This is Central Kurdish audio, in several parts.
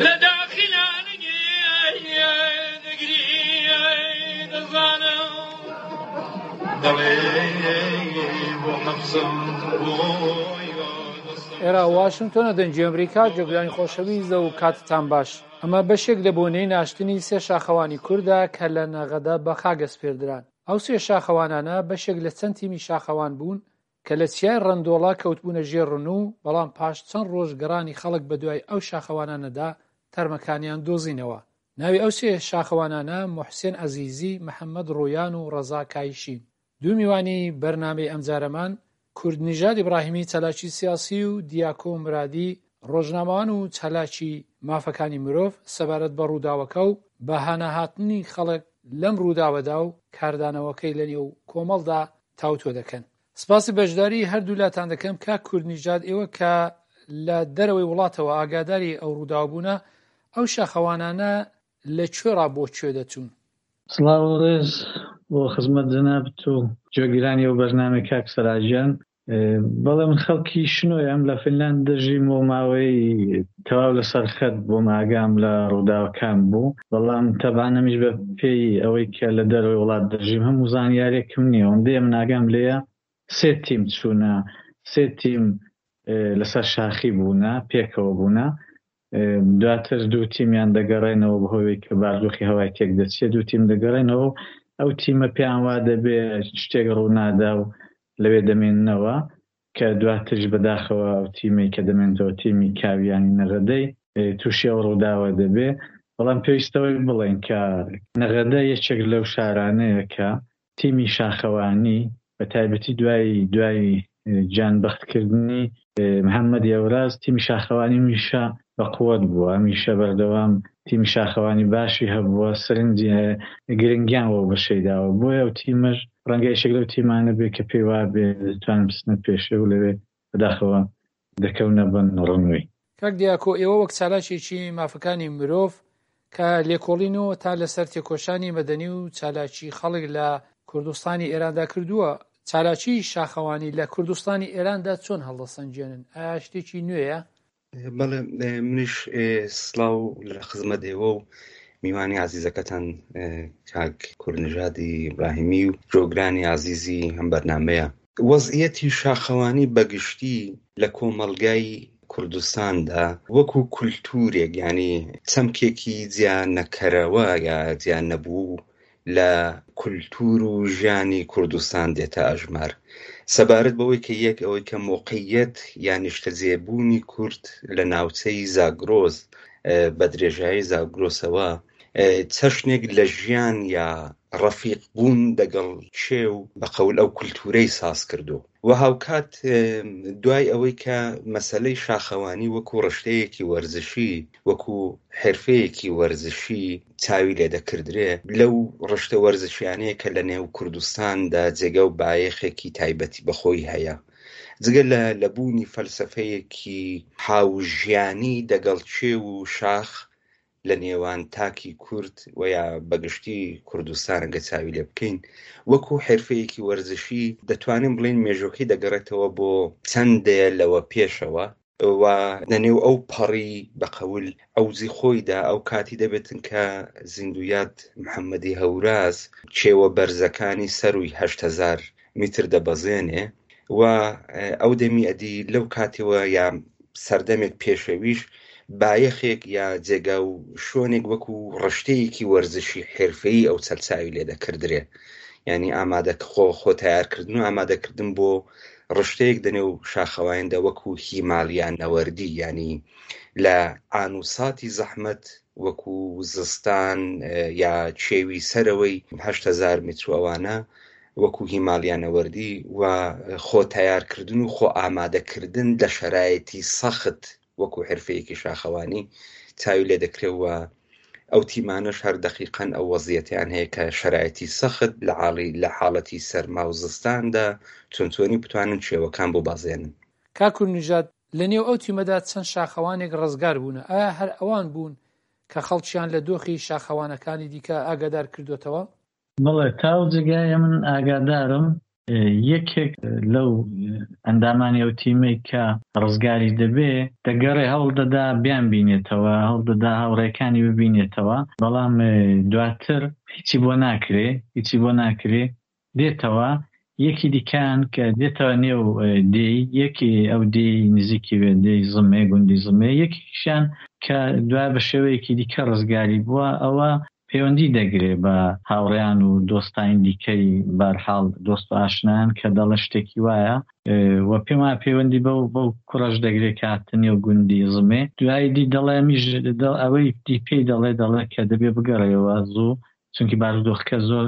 لە داخی نانگی دەگری دەزانم دەڵێ بۆ حەفزم بۆی ئێرە واشنگتۆنە دەنگی ئەمریکا جۆگرانی خۆشەویست و کاتتان باش ئەمە بەشێک لە بۆنەی ناشتنی سێ شاخەوانی کوردە کە لە نەغەدە بە خاک ئەسپێردران ئەو سێ شاخەوانانە بەشێک لە چەند تیمی شاخەوان بوون کە لە چیای ڕەندۆڵە کەوتبوونە ژێر ڕنوو، بەڵام پاش چەند ڕۆژ گەڕانی خەڵک بەدوای ئەو شاخەوانانەدا تەرمەکانیان دۆزینەوە. ناوی ئەو سێ شاخەوانانە موحسێن عەزیزی، محەمەد ڕوویان و ڕەزا کایشین. دوو میوانی بەرنامەی ئەمجارەمان، کوردنژاد ئیبراهیمی چالاکی سیاسی و دیاکۆ مورادی ڕۆژنامەوان و چالاکی مافەکانی مرۆڤ سەبارەت بە ڕووداوەکە و بە هاناهاتنی خەڵک لەم ڕووداوەدا و کاردانەوەکەی لەنێو کۆمەڵدا تاوتوێ دەکەن. سپاسی بەشداری هەردوولاتان دەکەم کاک کوردنیژاد ئێوە کە لە دەرەوەی وڵاتەوە ئاگاداری ئەو ڕووداوە بوونە ئەو شاخەوانانە لە کوێڕا بۆ کوێ دەچوون؟ سڵاو و ڕێز بۆ خزمەت جەنابت و گوێگرانی ئەو بەرنامەی کاک سەراجیان. بەڵێ من خەڵکی شنۆیم لە فینلاند دەژیم و ماوەی تەواو لەسەر خەت بووم ئاگام لە ڕووداوەکان بوو بەڵام تەبعەن ئەمیش بە پێی ئەوەی کە لە دەرەوەی وڵات دەژیم هەموو زانیارێکم نییە ئەوەندەیە من ئاگام لێیە سێ تیم چوونە سێ تیم لەسەر شاخی بوونە پێکەوە بوونە دواتر دوو تیمیان دەگەڕێنەوە بەهۆی کە باردۆخی هەوای تێک دەچێت دوو تیم دەگەڕێنەوە و ئەو تیمە پێیان وا دەبێ شتێک ڕوونادا و لەوێ دەمێننەوە کە دواتریش بەداخەوە ئەو تیمەی کە دەمێنێتەوە تیمی کاویانی نەغەدەی تووشی ئەو ڕووداوە دەبێ بەڵام پێویستەوەی بڵێن کە نەغەدە یەکێک لەو شارانەیە کە تیمی شاخەوانی بە تایبەتی دوای دوای گیان بەختکردنی محەممەد یەوراز تیمی شاخەوانی هەمیشە بە قوت بووە هەمیشە بەردەوام تیمی شاخەوانی باشی هەبووە سەرنجی گرنگیان وەو بەشەی داوە بۆیە ئەو تیمەش ڕەنگە یەکێک لەو تیمانە بێ کە پێی وابێ دەتوانن بچنە پێشێ و لەوێ بەداخەوە دەکەونە بن ڕنووی. کاک دیاکۆ ئێوە وەک چالاکێکی مافەکانی مرۆڤ کە لێکۆڵینەوەتان لەسەر تێکۆشانی مەدەنی و چالاکی خەڵک لە کوردستانی ئێراندا کردووە، چالاکیی شاخەوانی لە کوردستانی ئێراندا چۆن هەڵدەسەنگێنن؟ ئایا شتێکی نوێیە؟ بەڵێ منیش سڵاو لە خزمەت ئێوە و میوانی عزیزەکەتان کاک کوردنژادی ئیبراهیمی و جۆگرانی عزیزی ئەم بەرنمەیە وەزعیەتی شاخەوانی بەگشتی لە کۆمەڵگای کوردستاندا وەکو کولتوورێک یانی چەمکێکی جیا نەکەرەوە یا جیا نەبوو لە کولتوور و ژیانی کوردستان دێتە ئەژمار. سەبارەت بەوەی کە یەک ئەوەی کە مۆقعیەت یا نیشتەجێبوونی کورد لە ناوچەی زاگرۆس بە درێژایی زاگرۆسەوە چەشنێک لە ژیان یا ڕەفیق بوون دەگەڵ کێو بە قەول ئەو کولتوورەی ساز کردو و هاوکات دوای ئەوەی کە مەسەلەی شاخەوانی وەکو ڕشتەیەکی وەرزشی وەکو حرفەیەکی وەرزشی چاوی لێ دەکردرێ لەو ڕشتە وەرزشیانەیە کە لە نێو کوردستاندا جێگە و بایەخێکی تایبەتی بەخۆی هەیە جگە لە لە بوونی فەلسەفەیەکی هاوژیانی دەگەڵ کێو و شاخ لە نێوان تاکی کورد و یا بەگشتی کوردستان گە چاوی لێ بکەین وەکو حرفەیەکی وەرزشی دەتوانین بڵێین مێژوەکەی دەگەڕێتەوە بۆ چەند دەیە لەوە پێشەوە و لە نێو ئەو پەڕی بە قەول عەوزی خۆیدا ئەو کاتی دەبێتن کە زیندویاد محەممەدی هەوراز کێوە بەرزەکانی سەروی 8000 میتر دەبەزێنێ و ئەو دەمی ئەدی لەو کاتەوە یا سەردەمێک پێشەویش بایەخێک یا جێگا و شوێنێک وەکو ڕشتەیەکی وەرزشی حرفەیی ئەو چەلچاوی لێ دەکردرێ ینی ئامادە خۆ خۆ تیارکردن و ئامادەکردن بۆ ڕشتەیەک دەنێو شاخەواندا وەکو هیمالیا نەوەردی ینی لە ئان و ساتی زەحمەت وەکو زستان یا کێوی سەرەوەی 8000 متر و ئەوانە وەکو هیمالیا نەوەردی و خۆ تەیارکردن و خۆ ئامادەکردن لە شەرایەتی سەخت وەکو حرفەیەکی شاخەوانی چاوی لێ دەکرێ و ئەو تیمانەش هەر دەقیقەن ئەو وەزیەتیان هەیە کە شەرایەتی سەخت لە عاڵی لە حاڵەتی سەرما و زستاندا چۆن چۆنی بتوانن کێوەکان ببەزێنن. کاک کوردنژاد، لە نێو ئەو تیمەدا چەند شاخەوانێک ڕزگار بوونە، ئایا هەر ئەوان بوون کە خەڵکیان لە دۆخی شاخەوانەکانی دیکە ئاگادار کردۆتەوە؟ بەڵێ تا ئەو جێگایە من ئاگادارم. یەکێک لەو ئەندامانی ئەو تیمەی کە ڕزگاری دەبێ دەگەڕێ هەوڵ دەدا بیانبینێتەوە، هەوڵ دەدا هاوڕێکانی ببینێتەوە، بەڵام دواتر هیچی بۆ ناکرێ، هیچی بۆ ناکرێ، دێتەوە یەکی دیکەیان کە دێتەوە نێو دێی یەکی ئەو دێی نزیکی وێ دێی زمێ گوندی زمێ یەکێکیشیان کە دوای بە شێوەیەکی دیکە ڕزگاری بووە ئەوە پەیوەندی دەگرێ بە هاوڕێیان و دۆستانی دیکەی بارحاڵ دۆست و ئاشنایان کە دەڵێ شتێکی وایە و پێم وایە پەیوەندی بەو بەو کوڕەش دەگرێ کە هاتە نێو گوندی زمێ دوایی دی دەڵێ ئەمیش ئەوەی دی پێی دەڵێ دەڵێ کە دەبێ بگەڕێیەوە زوو چونکی بارودۆخەکە زۆر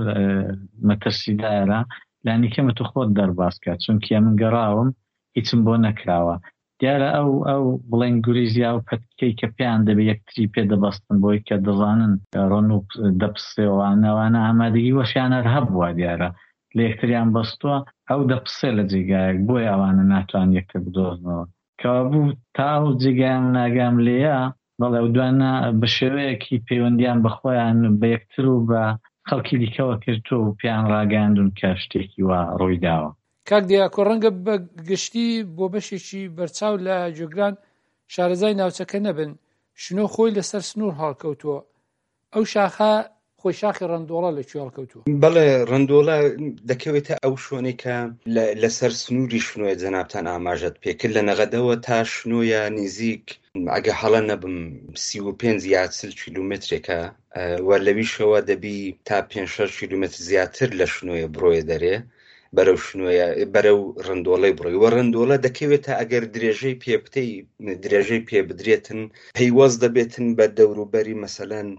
مەترسیدارە لانیکەمە تۆ خۆت دەرباز کە چونکی ئەمن گەڕاوم هیچم بۆ نەکراوە دیارە ئەو ئەو بڵێن گوریس یا ئەو پەتکەی کە پێیان دەبێ یەکتری پێ دەبەستن بۆی کە دەزانن ڕەنوو دەپسێ و ئەوانە ئامادەگی وەشیان هەر هەبووە دیارە لە یەکتریان بەستووە ئەو دەپسێ لە جێگایەک بۆیە ئەوانە ناتوان یەکتر بدۆزنەوە کەوابوو تا ئەو جێگایە من ئاگام لێیە بەڵێ ئەو دوانە بە شێوەیەکی پەیوەندیان بە خۆیان بە یەکتر و بە خەڵکی دیکەوە کردووە و پێیان ڕاگەیاندوون کە شتێکی وا ڕووی داوە. کاک دیاکۆ ڕەنگە بە گشتی بۆ بەشێکی بەرچاو لە گوێگران شارەزای ناوچەکە نەبن، شنۆ خۆی لەسەر سنوور هەڵکەوتووە، ئەو شاخە خۆی شاخی ڕەندۆڵە لە کوێ هەڵکەوتووە؟ بەڵێ ڕەندۆڵە دەکەوێتە ئەو شوێنەی کە لەسەر سنووری شنۆیە جەنابتان ئاماژەت پێکرد لە نەغەدەوە تا شنۆیە نزیک ئەگە هەڵە نەبم 35 یا 40 کیلومترێکە و لەویشەوە دەبی تا 5 کیلومتر زیاتر لە شنۆیە بڕۆیە دەرێ بەرەو شنۆیە بەرەو ڕندۆڵەی بڕۆی وە ڕندۆڵە دەکەوێتە ئەگەر درێژەی پێ بتەی درێژەی پێ بدرێتن پەیوەست دەبێتن بە دەوروبەری مەسەلەن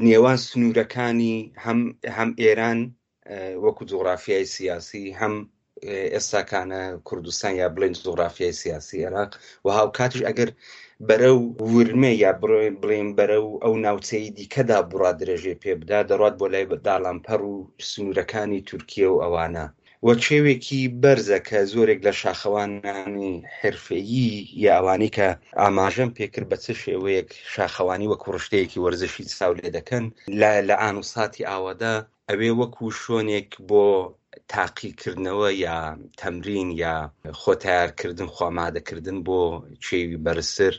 نێوان سنوورەکانی هەم هەم ئێران وەکو جوغرافیای سیاسی هەم ئێستاکانە کوردستان یا بڵێن جوغرافیای سیاسی عێراق و هاوکاتیش ئەگەر بەرەو ورمێ یا بڵێن بەرەو ئەو ناوچەی دیکەدا بڕا درێژەی پێ بدا دەڕات بۆ لای داڵانپەڕ و سنوورەکانی تورکیە و ئەوانە و کێوێکی بەرزە کە زۆرێک لە شاخەوانانی حرفەیی یا ئەوانەی کە ئاماژەم پێکرد بە چ شێوەیەک شاخەوانی وەکو ڕشتەیەکی وەرزشی چاو لێ دەکەن لە لە ئان و ساتی ئاوادا ئەوێ وەکو شۆنێک بۆ تاقیکردنەوە یا تەمرین یا خۆ تەیارکردن خۆ ئامادەکردن بۆ کێوی بەرزتر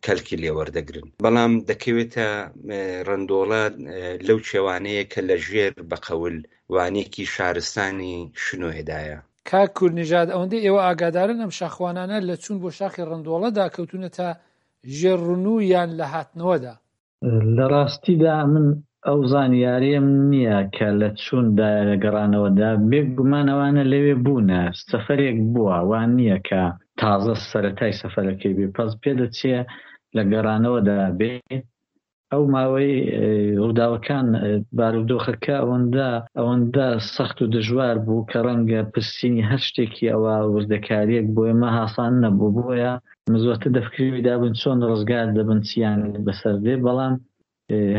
کەلکی لێ وەردەگرن بەڵام دەکەوێتە ڕندۆڵە لەو کێوانەیە کە لە ژێر بە قەول وانێکی شارستانی شنۆیەدایە. کاک کوردنژاد ئەوەندەی ئێوە ئاگادارن ئەم شاخوانانە لە چوون بۆ شاخی ڕندۆڵەدا کەوتوونەتە ژێر ڕنوو یان لە هاتنەوەدا؟ لە ڕاستیدا من ئەو زانیاریەم نییە کە لە چوون دایە لە گەڕانەوەدا، بێ گومان ئەوانە لەوێ بوونە، سەفەرێک بووە، وا نییە کە تازە سەرەتای سەفەرەکەی بێ، پەس پێدەچێ لە گەڕانەوەدا بێ. ئەو ماوەی ڕووداوەکان بارودۆخەکە ئەوەندە ئەوەندە سەخت و دژوار بوو کە ڕەنگە پرسینی هەر شتێکی ئەوا وردەکارییەک بۆ ئێمە هاسان نەبوو، بۆیە من زۆرتر دە فکری دابووین چۆن ڕزگار دەبن چیان بەسەر دێ، بەڵام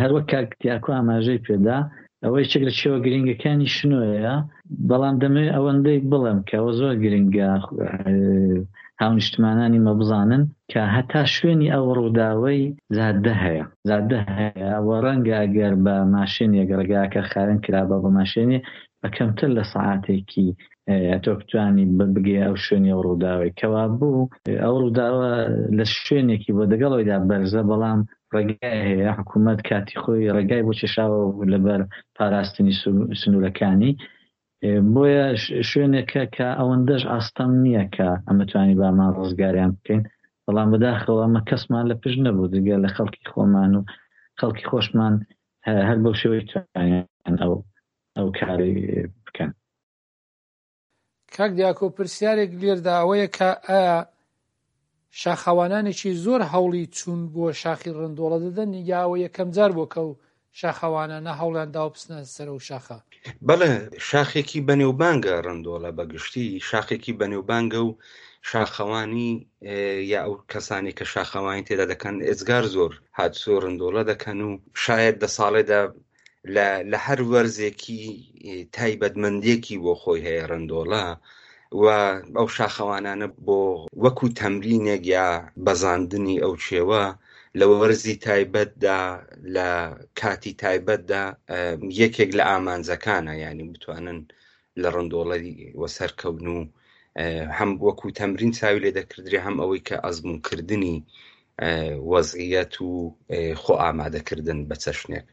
هەر وەک کاک دیاکۆ ئاماژەی پێدا ئەوە یەکێک لە کێوە گرنگەکانی شنۆیە، بەڵام دەمەوێت ئەوەندەی بڵێم کە ئەوە زۆر گرنگە هاونیشتمانانی مە بزانن کە هەتا شوێنی ئەو ڕووداوەی جادە هەیە جادە هەیە و ڕەنگە ئەگەر بە ماشێنێک ڕێگاکە خاوێن کرابا بە ماشێنێ بە کەمتر لە سەعاتێکی ئەتۆ بتوانی بگەیە ئەو شوێنی ئەو ڕووداوەی کەوابوو ئەو ڕووداوە لە شوێنێکی بۆ دەگەڵ ئەوەیدا بەرزە بەڵام ڕێگای هەیە حکوومەت کاتی خۆی ڕێگای بۆ کێشاوە لەبەر پاراستنی سنوورەکانی بۆیە شوێنێکە کە ئەوەندەش ئاستەم نییە کە ئەمە توانی بامان ڕزگاریان بکەین بەڵام بەداخەوە ئەمە کەسمان لە پشت نەبوو جگە لە خەڵکی خۆمان و خەڵکی خۆشمان هەر بەو شێوەی توانیان ئەو ئەو کاری بکەن. کاک دیاکۆ پرسیارێک لێردا ئەوەیە کە ئایا شاخەوانانێکی زۆر هەوڵی چوون بۆ شاخی ڕندۆڵە دەدەن یا ئەوە یەکەم جار بووە کە ئەو شاخەوانانە هەوڵیان داوە بچنە سەر ئەو شاخە؟ بەڵێ شاخێکی بەنێوبانگە ڕندۆڵە بە گشتی شاخێکی بەنێوبانگە و شاخەوانی یا ئەو کەسانی کە شاخەوانی تێدا دەکەن ئێجگار زۆر هاتسۆ ڕندۆڵە دەکەن و شاید دە ساڵێدا لە لە هەر وەرزێکی تایبەتمەندێکی بۆ خۆی هەیە ڕندۆڵە و ئەو شاخەوانانە بۆ وەکو تەمرینێک یا بەزاندنی ئەو کێوە لە وەرزی تایبەتدا لە کاتی تایبەتدا یەکێک لە ئامانجەکانە یعنی بتوانن. لە ڕندۆڵەی وەسەر کەون و هەم وەکو تەمرین چاوی لێ دەکردرێ هەم ئەوەی کە ئەزموونکردنی وەزعیەت و خۆ ئامادەکردن بە چەشنێک.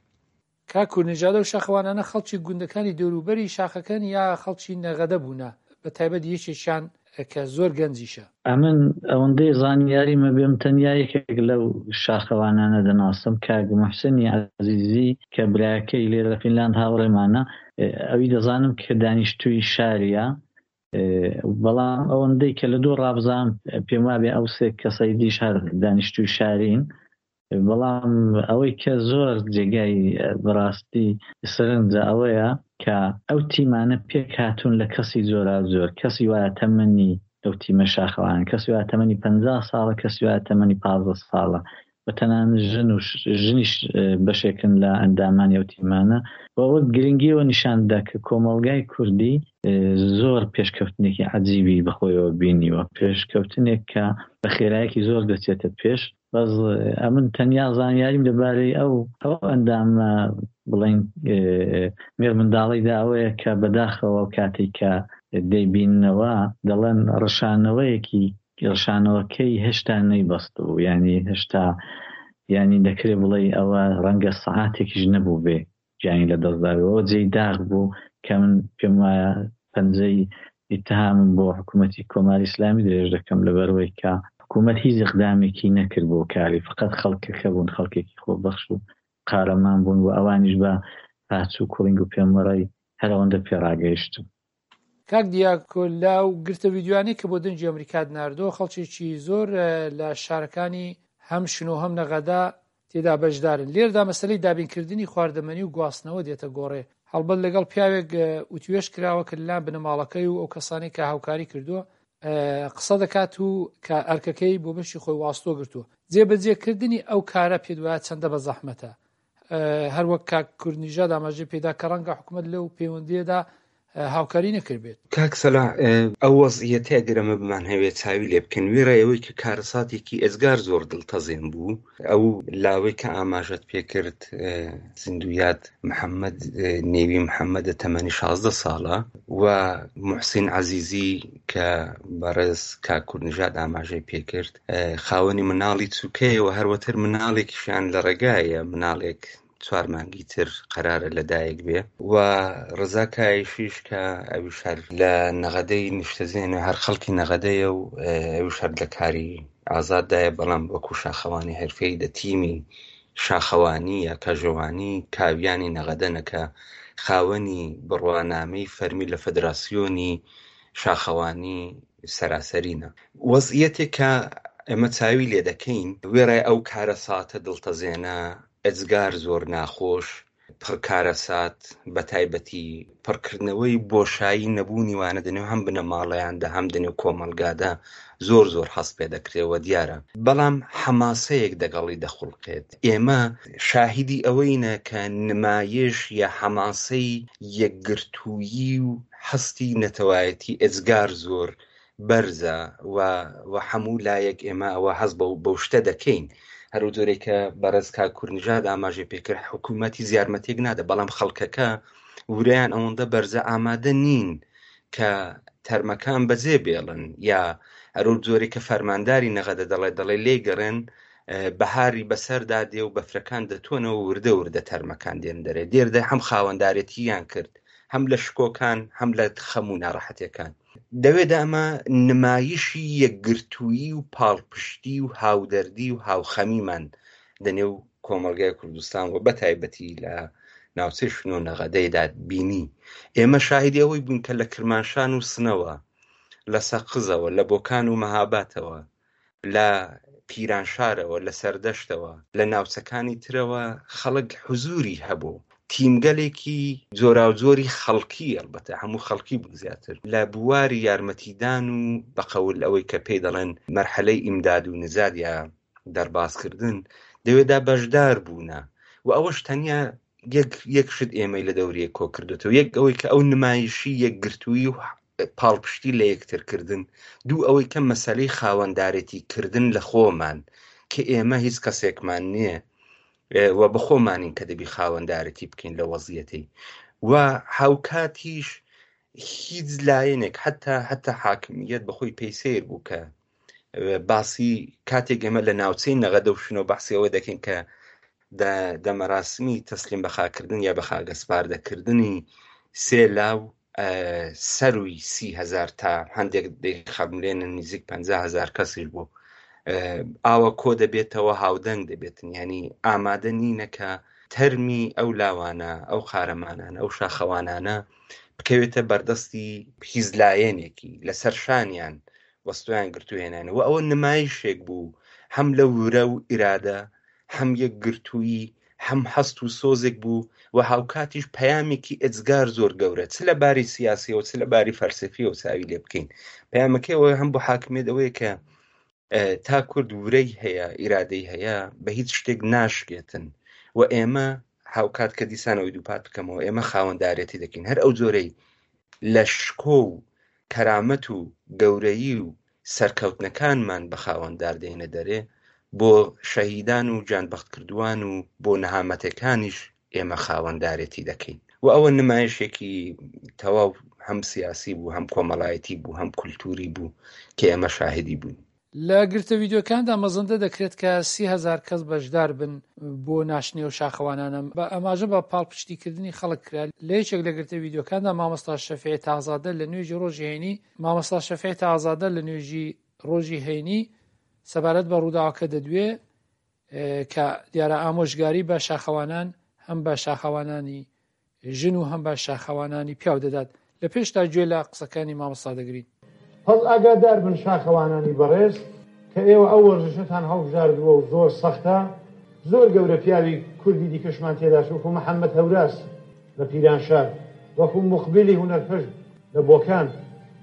کاک کوردنژاد ئەو شاخەوانانە خەڵکی گوندەکانی دەوروبەری شاخەکەن یا خەڵکی نەغەدە بوونە بە تایبەت یەکێکیان کە زۆر گەنجیشە؟ ئەمن ئەوەندەی زانیاریم هەبێ من تەنیا یەکێک لەو شاخەوانانە دەناسم کاک موحسنی عەزیزی کە برایەکەی لێرە لە فینلاند هاوڕێمانە ئەوی دەزانم کە دانیشتووی شاریە بەڵام ئەوەندەی کە لە دوو ڕابزانم پێم وابێ ئەو سێ کەسەی دیش هەر دانیشتووی شارین بەڵام ئەوەی کە زۆر جێگای بەڕاستی سەرنجە ئەوەیە کە ئەو تیمانە پێکهاتوون لە کەسی جۆراوجۆر، کەسی وایە تەمەنی ئەو تیمە شاخەوانە، کەسی وایە تەمەنی 50 ساڵە، کەسی وایە تەمەنی 15 ساڵە و تەنانەت ژن و ژنیش بەشێکن لە ئەندامانی ئەو تیمانە و ئەوە گرنگیەوە نیشان دەدا کە کۆمەڵگای کوردی زۆر پێشکەوتنێکی عەجیبی بەخۆیەوە بینیوە، پێشکەوتنێک کە بە خێرایەکی زۆر دەچێتە پێش. بەس ئەمن تەنیا زانیاریم لەبارەی ئەو ئەو ئەندامە بڵێین مێرمنداڵیدا ئەوەیە کە بەداخەوە ئەو کاتێک کە دەیبیننەوە دەڵێن ڕشانەوەیەکی ڕشانەوەکەی هێشتا نەیبەستبوو یانی هێشتا یانی دەکرێ بڵێی ئەوە ڕەنگە سەعاتێکیش نەبووبێ گیانی لە دەست دابێ ئەوە جێی داخ بوو کە من پێم وایە پەنجەی ئیتهامم بۆ حکوومەتی کۆماری ئیسلامی درێژ دەکەم لەبەرئەوەی کە حکوومەت هیچ ئیقدامێکی نەکرد بۆ کاری فقط خەڵکەکە بوون خەڵکێکی خۆبەخش و قارەمان بوون و ئەوانیش بە پاچ و کوڵینگ و پێمەڕەی هەر ئەوەندە پێڕاگەیشتن. کاک دیاکۆ لەو گرتە ڤیدیۆیانەی کە بۆ دەنگی ئەمریکات ناردووە خەڵکێکی زۆر لە شارەکانی هەم شنۆ هەم نەغەدە تێدا بەشدارن لێردا مەسەلەی دابینکردنی خواردەمەنی و گواستنەوە دێتە گۆڕێ هەڵبەت لەگەڵ پیاوێک وتوێژ کراوە کە لەلایەن بنەماڵەکەی و ئەو کەسانەی کە هاوکاری کردووە قسە دەکات و کە ئەرکەکەی بۆ بەشی خۆی واستۆ گرتووە جێبەجێکردنی ئەو کارە پێت وایە چەندە بە زەحمەتە هەروەک کاک کوردنیژاد ئاماژەی پێدا کە ڕەنگە حکوومەت لەو پەیوەندیەدا هاوکاری نەکردبێت. کاک سەلاح ئەو وەزعیەتە ئەگەر ئەمە بمانهەوێ چاوی لێ بکەین وێڕای ئەوەی کە کارەساتێکی ئێجگار زۆر دڵتەزێن بوو ئەو لاوەی کە ئاماژەت پێ کرد زیندوویاد محەممەد نێوی محەممەدە تەمەنی 16 ساڵە و محسین عەزیزی کە بەڕێز کاک کوردنژاد ئاماژەی پێ کرد خاوەنی مناڵی چووکەیە و هەروەتر مناڵێکیشیان لە ڕێگایە مناڵێک چوار مانگی تر قەرارە لە دایک بێ و ڕزا کایشیش کە ئەویش هەر لە نەغەدەی نیشتەجێنە هەر خەڵکی نەغەدەیە و ئەویش هەر لە کاری ئازاددایە بەڵام وەکو شاخەوانی حرفەی دە تیمی شاخەوانی یا کەژەوانی کاویانی نەغەدەنە کە خاوەنی بڕوانامەی فەرمی لە فەدراسیۆنی شاخەوانی سەراسەرینە. وەزعیەتێک کە ئێمە چاوی لێ دەکەین، وێڕای ئەو کارەساتە دڵتەزێنە، ئێجگار زۆر ناخۆش، پڕ کارەسات، بەتایبەتی پڕکردنەوەی بۆشایی نەبوونی وانە دەنێو هەم بنەماڵەیاندا هەم دەنێو کۆمەڵگادا زۆر زۆر هەست پێ دەکرێ و دیارە، بەڵام حەماسەیەک دەگەڵی دەخوڵقێت. ئێمە شاهیدی ئەوەینە کە نمایش یا حەماسەی یەکگرتوویی و هەستی نەتەوایەتی ئێجگار زۆر بەرزە و و حەموو لایەک ئێمە ئەوە هەست بەو بەو شتە دەکەین. هەرو جۆرێک کە بەڕێز کاک کوردنژاد ئاماژەی پێ کرد حکوومەت هیچ یارمەتییەک نادا، بەڵام خەڵکەکە ورەیان ئەوەندە بەرزە ئامادە نین کە تەرمەکان بەجێ بێڵن یا هەرو جۆرێک کە فەرمانداری نەغەدە دەڵێ دەڵێ لێی گەڕێن بەهاری بەسەردا دێ و بەفرەکان دەتۆنەوە وردە وردە تەرمەکان دێن دەرێ دێردە هەم خاوەندارێتییان کرد هەم لە شکۆکان هەم لە خەم و ناڕەحەتیەکان. دەوێدا ئەمە نمایشی یەکگرتوویی و پاڵپشتی و هاودەردی و هاوخەمیمان دەنێو کۆمەڵگای کوردستان و بەتایبەتی لە ناوچەی شنۆ نەغەدەیدا بینی. ئێمە شاهیدی ئەوەی بووین کە لە کرمانشان و سنەوە، لە سەقزەوە، لە بۆکان و مەهاباتەوە، لە پیرانشارەوە، لە سەردەشتەوە، لە ناوچەکانی ترەوە خەڵک حزووری هەبوو. تیمگەلێکی جۆراوجۆری خەڵکی، ئەڵبەتە هەموو خەڵکی بوون زیاتر، لە بواری یارمەتیدان و بە قەول ئەوەی کە پێی دەڵێن مەرحەلەی ئیمداد و نجات یا دەربازکردن، دەوێدا بەشدار بوونە و ئەوەش تەنیا یەک یەک شت ئێمەی لە دەوری یەک کۆ کردوێتەوە، یەک ئەوەی کە ئەو نمایشی یەکگرتوویی و پاڵپشتی لە یەکتر کردن، دوو ئەوەی کە مەسەلەی خاوەندارێتی کردن لە خۆمان کە ئێمە هیچ کەسێکمان نییە و بەخۆمانین کە دەبی خاوەندارێتی بکەین لە وەزیەتەی و هاوکاتیش. هیچ لایەنێک حتا حتا حاکمیت بەخۆی پێی سیر بوو کە باسی کاتێک ئێمە لە ناوچەی نەغەدە و شنۆ باسی ئەوە دەکەین کە دە مەراسمی تەسلیم بەخاکردن یا بەخاگەسپاردەکردنی سێ لاو سەروی 30هزار تا هەندێک دەیخەملێنن نزیک 500هزار کەسیش بوو ئاوە کۆ دەبێتەوە هاودەنگ دەبێتن ینی ئامادە نینە کە تەرمی ئەو لاوانە ئەو قارەمانانە ئەو شاخەوانانە بکەوێتە بەردەستی هیچ لایەنێکی لەسەر شانیان وەستۆیان گرتوهێنانە و ئەوە نمایشێک بوو هەم لە ورە و ئیرادە هەم یەکگرتوویی هەم هەست و سۆزێک بوو و هاوکاتیش پەیامێکی ئێجگار زۆر گەورە چ لە باری سیاسیەوە چ لە باری فەلسەفیەوە چاوی لێ بکەین پەیامەکەی ئەوە هەم بۆ حاکمیەت ئەوەیە کە تا کورد ورەی هەیە ئیرادەی هەیە بە هیچ شتێک ناشکێتن و ئێمە هاوکات کە دیسانەوەی دووپات بکەمەوە ئێمە خاوەندارێتی دەکەین هەر ئەو جۆرەی لە شکۆ و کەرامەت و گەورەیی و سەرکەوتنەکانمان بە خاوەندار دێنە دەرێ بۆ شەهیدان و گیانبەختکردووان و بۆ نەهامەتەکانیش ئێمە خاوەندارێتی دەکەین و ئەوە نمایشێکی تەواو هەم سیاسی بوو هەم کۆمەڵایەتی بوو هەم کولتوری بوو کە ئێمە شاهدی بووین. لە گرتە ڤیدیۆکاندا مەزەندە دەکرێت کە 30,000 کەس بەشدار بن بۆ ناشتنی ئەو شاخەوانانە، بە ئاماژە بە پاڵپشتیکردنی خەڵک کرا، لە یەکێک لە گرتە ڤیدیۆکاندا مامۆستا شەفیعی تاقزادە لە نوێژی ڕۆژی هەینی مامۆستا شەفیعی تاقزادە لە نوێژی ڕۆژی هەینی سەبارەت بە ڕووداوەکە دەدوێ کە دیارە ئامۆژگاری بە شاخەوانان هەم بە شاخەوانانی ژن و هەم بە شاخەوانانی پیاو دەدات. لە پێشدا گوێ لە قسەکانی مامۆستا دەگرین. پەس ئاگادار بن شاخەوانانی بەڕێز کە ئێوە ئەو وەرزشەتان هەڵبژاردووە و زۆر سەختە، زۆر گەورە پیاوی کوردی دیکەشمان تێداس وەکوو محەممەد هەوراز لە پیرانشار، وەکوو موقبیلی هونەرپەژ لە بۆکان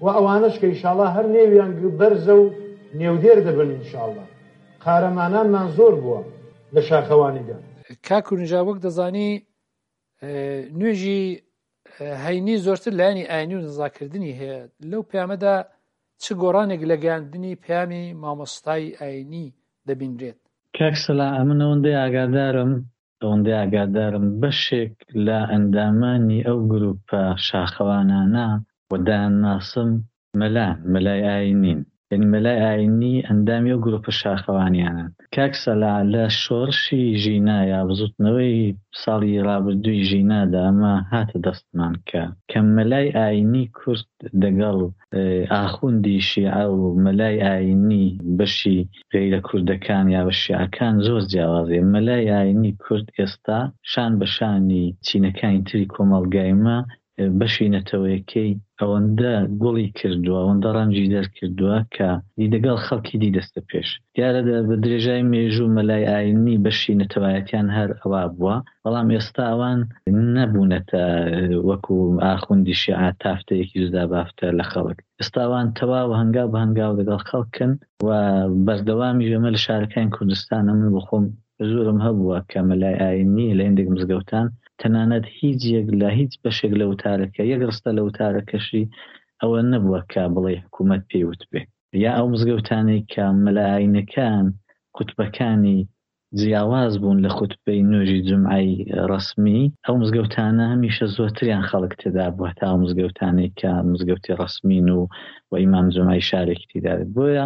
و ئەوانەش کە ئیشاڵا هەر نێویان بەرزە و نێودێر دەبن ئینشاڵا. قارەمانانمان زۆر بووە لە شاخەوانیدا. کاک کورنژا وەک دەزانی نوێژی هەینی زۆرتر لایەنی ئاینی و نزاکردنی هەیە لەو پەیامەدا چ گۆڕانێک لە گەیاندنی پەیامی مامۆستای ئاینی دەبینرێت؟ کاک سەلاح ئەمن ئەوەندەی ئاگادارم ئەوەندەی ئاگادارم بەشێک لە ئەندامانی ئەو گروپە شاخەوانانە و دەیانناسم مەلان، مەلای ئایینین. یانی مەلای ئایینی ئەندامی ئەو گروپە شاخەوانیانەن. کاک سەلا لە شۆڕشی ژینا یا بزوتنەوەی ساڵی ڕابردووی ژینادا ئەمە هاتە دەستمان کە کە مەلای ئایینی کورد دەگەڵ ئاخوندی شیعە و مەلای ئایینی بەشی غەیرە کوردەکان یا بە شیعەکان زۆر جیاوازیە. مەلای ئایینی کورد ئێستا شان بە شانی چینەکانی تری کۆمەڵگای مە بەشی نەتەوەیەکەی ئەوەندە گوڵی کردووە، ئەوەندە ڕەنجی دەرکردووە کە دی دەگەڵ خەڵکی دی دەستە پێش. دیارە بە درێژای مێژوو مەلای ئایینی بەشی نەتەوایەتیان هەر ئەوا بووە، بەڵام ئێستا ئەوان نەبوونەتە وەکوو ئاخوندی شیعە تافتەیەکی جودا بافتە لە خەڵک. ئێستا ئەوان تەواو هەنگاو بە هەنگاو دەگەڵ خەڵکن و بەردەوامیش ئەمە لە شارەکانی کوردستانە من بۆ خۆم حزوورم هەبووە کە مەلای ئایینی لە هێندێک مزگەوتان تەنانەت هیچ یەک لە هیچ بەشێک لە وتارەکە یەک ڕستە لە وتارەکەشی ئەوە نەبووە کە بڵێی حکوومەت پێی وتبێ یا ئەو مزگەوتانەی کە مەلا ئایینەکان خوتبەکانی جیاواز بوون لە خوتبەی نوێژی جومعەی ڕەسمی ئەو مزگەوتانە هەمیشە زۆرتریان خەڵک تێدا بووە تا ئەو مزگەوتانەی کە مزگەوتی ڕەسمین و و ئیمام جومعەی شارێکی تیدا بێت بۆیە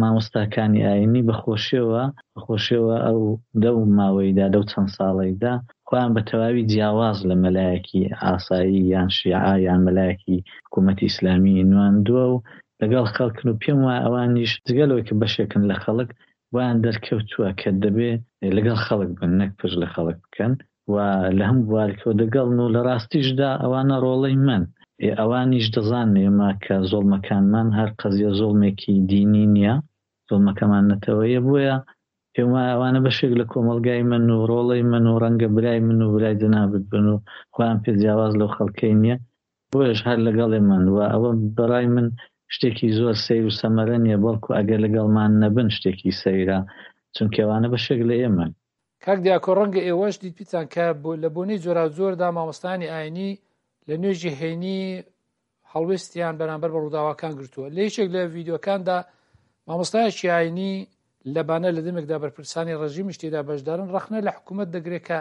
مامۆستاکانی ئایینی بە خۆشیەوە بە خۆشیەوە ئەو لەو ماوەیدا لەو چەند ساڵەیدا خۆیان بە تەواوی جیاواز لە مەلایەکی ئاسایی یان شیعە یان مەلایەکی حکوومەتی ئیسلامی نواندووە و لەگەڵ خەڵکن و پێم وایە ئەوانیش جگە لەوەی کە بەشێکن لە خەڵک بۆیان دەرکەوتووە کە دەبێ لەگەڵ خەڵک بن نەک پشت لە خەڵک بکەن و لە هەموو بوارێکەوە دەگەڵن و لە ڕاستیشدا ئەوانە ڕۆڵەی مەن. ئێ ئەوانیش دەزانن ئێمە کە زوڵمەکانمان هەر قەزیە زوڵمێکی دینی نییە، زوڵمەکەمان نەتەوەییە، بۆیە پێم وایە ئەوانە بەشێک لە کۆمەڵگای مەن و ڕۆڵەی مەن و ڕەنگە برای من و برای جەنابت بن و خۆیان پێ جیاواز لەو خەڵکەی نییە، بۆیەش هەر لەگەڵ ئێمەن و ئەوە بەڕای من شتێکی زۆر سەیر و سەمەرە نییە، بەڵکو ئەگەر لەگەڵمان نەبن شتێکی سەیرە، چونکە ئەوانە بەشێک لە ئێمەن. کاک دیاکۆ ڕەنگە ئێوەش دیتبیتان کە لە بۆنەی جۆراوجۆردا مامۆستایانی ئاینی لە نوێژی هەینی هەڵوێستیان بەرامبەر بە ڕووداوەکان گرتووە لە یەکێک لە ڤیدیۆکاندا مامۆستایەکی ئاینی لە بانە لە دەمێکدا بەرپرسانی ڕژیمیش تێدا بەشدارن ڕەخنە لە حکوومەت دەگرێت کە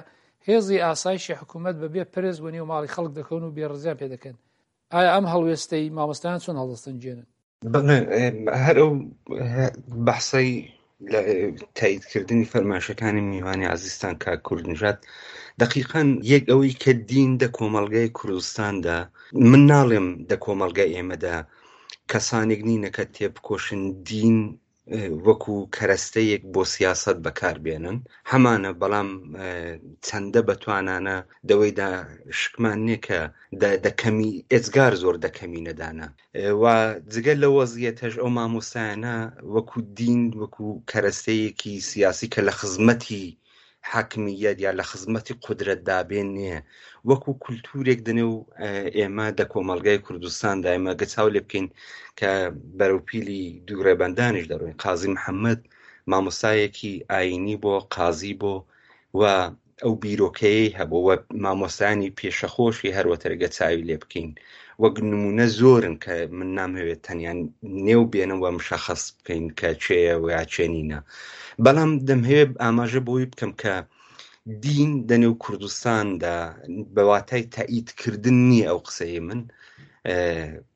هێزی ئاسایشی حکوومەت بەبێ پرس بۆ نێو ماڵی خەڵک دەکەون و بێڕزیان پێ دەکەن. ئایا ئەم هەڵوێستەی مامۆستایان چۆن هەڵدەسەنگێنن؟ بەڵێ هەر ئەو بەحسەی لە تاییدکردنی فەرمایشەکانی میوانی عزیزتان کاک کوردنژاد دقیقا یەک ئەوەی کە دین دە کۆمەڵگای کوردستاندا من ناڵێم دە کۆمەڵگای ئێمەدا کەسانێک نینە کە تێبکۆشن دین وەکو کەرەستەیەک بۆ سیاسەت بەکار بێنن هەمانە بەڵام چەندە بەتوانانە دەوەیدا شکمان نییە کە دەکەمی ئێجگار زۆر دەکەمی نەدانە و جگە لە وەزیەتەش ئەو مامۆستایانە وەکو دین وەکو کەرەستەیەکی سیاسی کە لە خزمەتی حاکمیەت یا لە خزمەتی قودرەتدا بێن نییە وەکو کولتورێک دەنێ و ئێمە دە کۆمەڵگای کوردستاندا ئێمە گە چاو لێ بکەین کە بەرەوپیلی دوو ڕێبەندانیش دەڕۆین قازی محەممەد مامۆستایەکی ئاینی بۆ قازی بۆ و ئەو بیرۆکەیەی هەبوو و مامۆستایانی پێشەخۆشی هەروەترگە چاوی لێ بکەین وەک نمونە زۆرن کە من نامهەوێت تەنیا نێو بێنم و مشەخەس بکەین کە چێە و یا چێ نینە بەڵام دەمهەوێت ئاماژە بۆی بکەم کە دین دەنێو کوردستاندا بە واتای تەئیدکردن نییە ئەو قسەی من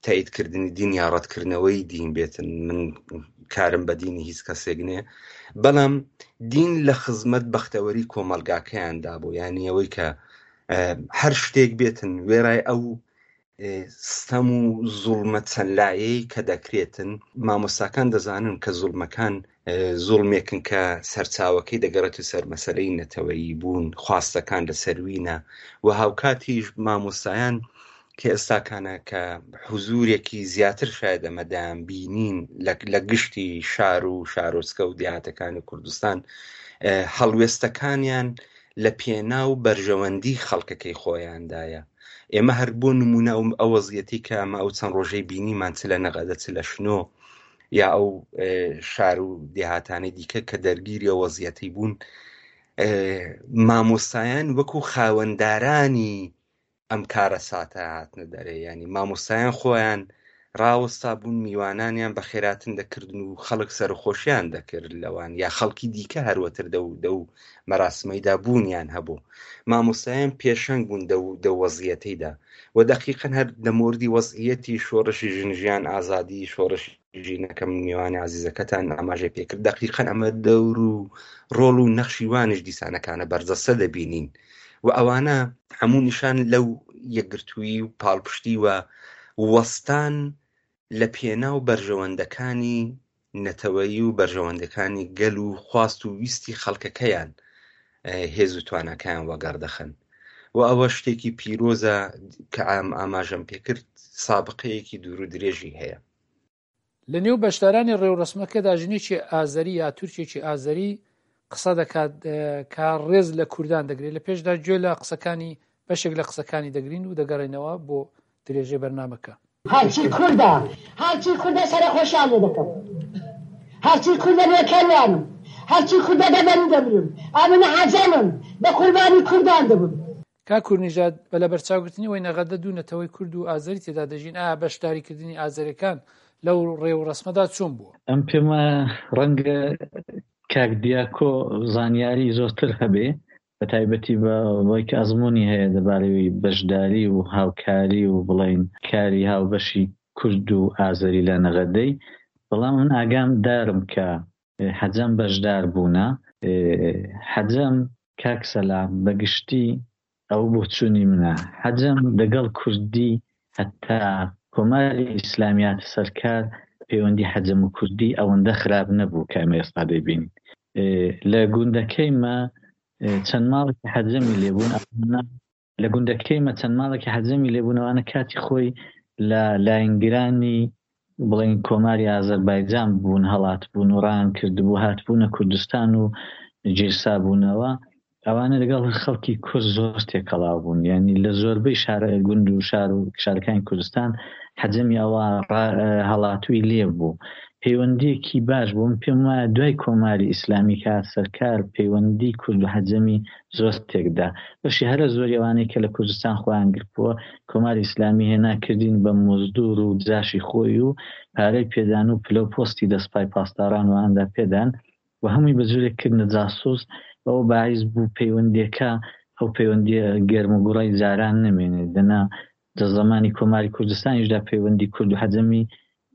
تەئیدکردنی دین یا ڕەتکردنەوەی دین بێتن من کارم بە دینی هیچ کەسێک نییە بەڵام دین لە خزمەت بەختەوەری کۆمەلگاکەیاندا بوو یعنی ئەوەی کە هەر شتێک بێتن وێرای ئەو ستەم و زوڵمە چەند لایەی کە دەکرێتن مامۆستاکان دەزانن کە زوڵمەکان زوڵمێکن کە سەرچاوەکەی دەگەڕێت و سەر مەسەلەی نەتەوەیی بوون خواستەکان لە سەروینە و هاوکاتیش مامۆستایان کە ئێستاکانە کە حزورێکی زیاتر شاید ئەمەدایان بینین لە گشتی شار و شارۆچکە و دیهاتەکانی کوردستان هەڵوێستەکانیان لە پێناو بەرژەوەندی خەڵکەکەی خۆیاندایە. ئێمە هەر بۆ نموونە ئەو ئەو وەزیەتی کە ئەمە ئەو چەند ڕۆژەی بینیمان چ لە نەغەدە چ لە شنۆ یا ئەو شار و دێهاتانەی دیکە کە دەرگیری ئەو وەزیەتی بوون مامۆستایان وەکو خاوەندارانی ئەم کارەساتە هاتنە دەرێ یانی مامۆستایان خۆیان ڕاوەستا بوون میوانانیان بەخێراتن دەکردن و خەڵک سەرخۆشیان دەکرد لەوان یا خەڵکی دیکە هەروەتر دەو دەو مەراسمەیدا بوونیان هەبوو مامۆستایان پێشەنگ بوون دەو دەو وەزیەتەیدا و دەقیقەن هەر لە مۆردی وەزعیەتی شۆڕشی ژن ژیان ئازادی شۆڕشی ژینەکەم میوانی عزیزەکەتان ئاماژەی پێکرد دەقیقەن ئەمە دەور و ڕۆڵ و نەخشی وانیش دیسانەکانە بەرجەستە دەبینین و ئەوانە هەموو نیشان لەو یەکگرتوویی و پاڵپشتی و وەستان لە پێناو بەرژەوەندەکانی نەتەوەیی و بەرژەوەندەکانی گەل و خواست و ویستی خەڵکەکەیان هێز و تواناکەیان وەگەڕ دەخەن و ئەوە شتێکی پیرۆزە کە ئام ئاماژەم پێکرد سابقەیەکی دوور و درێژی هەیە. لە نێو بەشدارانی ڕێوڕەسمەکەدا ژنێکی ئازەری یا تورکێکی ئازەری قسە دەکات کە ڕێز لە کوردان دەگرێت لە پێشدا گوێ لە قسەکانی بەشێک لە قسەکانی دەگرین و دەگەڕێنەوە بۆ درێژەی بەرنامەکە. هەرچی کوردە هەرچی کوردە سەرەخۆشیان لێ دەکەم هەرچی کوردە نۆکەریانم هەرچی کوردە دەبەری دەمرم ئەمن عەجەمم بە قوربانی کوردان دەبم. کاک کوردنژاد، بە لەبەرچاوگرتنی ئەوەی نەغەدە دوو نەتەوەی کورد و ئازەری تێدا دەژین، ئایا بەشداریکردنی ئازەریەکان لەو ڕێوڕەسمەدا چۆن بووە؟ ئەم پێم وایە ڕەنگە کاک دیاکۆ زانیاری زۆرتر هەبێ بە تایبەتی بە وەی کە ئەزموونی هەیە دەبارەی بەشداری و هاوکاری و بڵێین کاری هاوبەشی کورد و ئازەری لە نەغەدەی بەڵام من ئاگام دارم کە حەجەم بەشدار بوونە. حەجەم کاک سەلام بە گشتی ئەوە بۆچوونی منە حەجەم دەگەڵ کوردی هەتا کۆماری ئیسلامی هاتە سەر کار پەیوەندی حەجەم و کوردی ئەوەندە خراپ نەبوو کە ئێمە ئێستا دەیبینین لە گوندەکەی مە چەند ماڵێکی حەجەمی لێبوون ئەوانە لە گوندەکەی مە چەند ماڵێکی حەجەمی لێبوون ئەوانە کاتی خۆی لە لاینگرانی بڵێین کۆماری ئازەربایجان بوون هەڵاتبوون و ڕایان کردبوو هاتبوونە کوردستان و گیرسابوونەوە ئەوانە لەگەڵ خەڵکی کورد زۆر تێکەڵاو بوون یعنی لە زۆربەی شار گوند و شار و شارەکانی کوردستان حەجەمی ئەوە هەڵاتووی لێ بوو پەیوەندیەکی باش بوو من پێم وایە دوای کۆماری ئیسلامی کە هات سەرکار پەیوەندی کورد و حەجەمی زۆر تێکدا بەشی هەرە زۆری ئەوانەی کە لە کوردستان خۆیان گرتبووە کۆماری ئیسلامی هێنا کردین بە مزدور و جاشی خۆی و پارەی پێدان و پلە و پۆستی دە سپای پاسداران و ئاندا پێدان و هەمووی بە جورێک کردنە جاسوس ئەوە باعیس بوو پەیوەندیەکە ئەو پەیوەندیە گەرم و گوڕەی جاران نەمێنێت دەنا. لە زەمانی کۆماری کوردستانیشدا پەیوەندی کورد و حەجەمی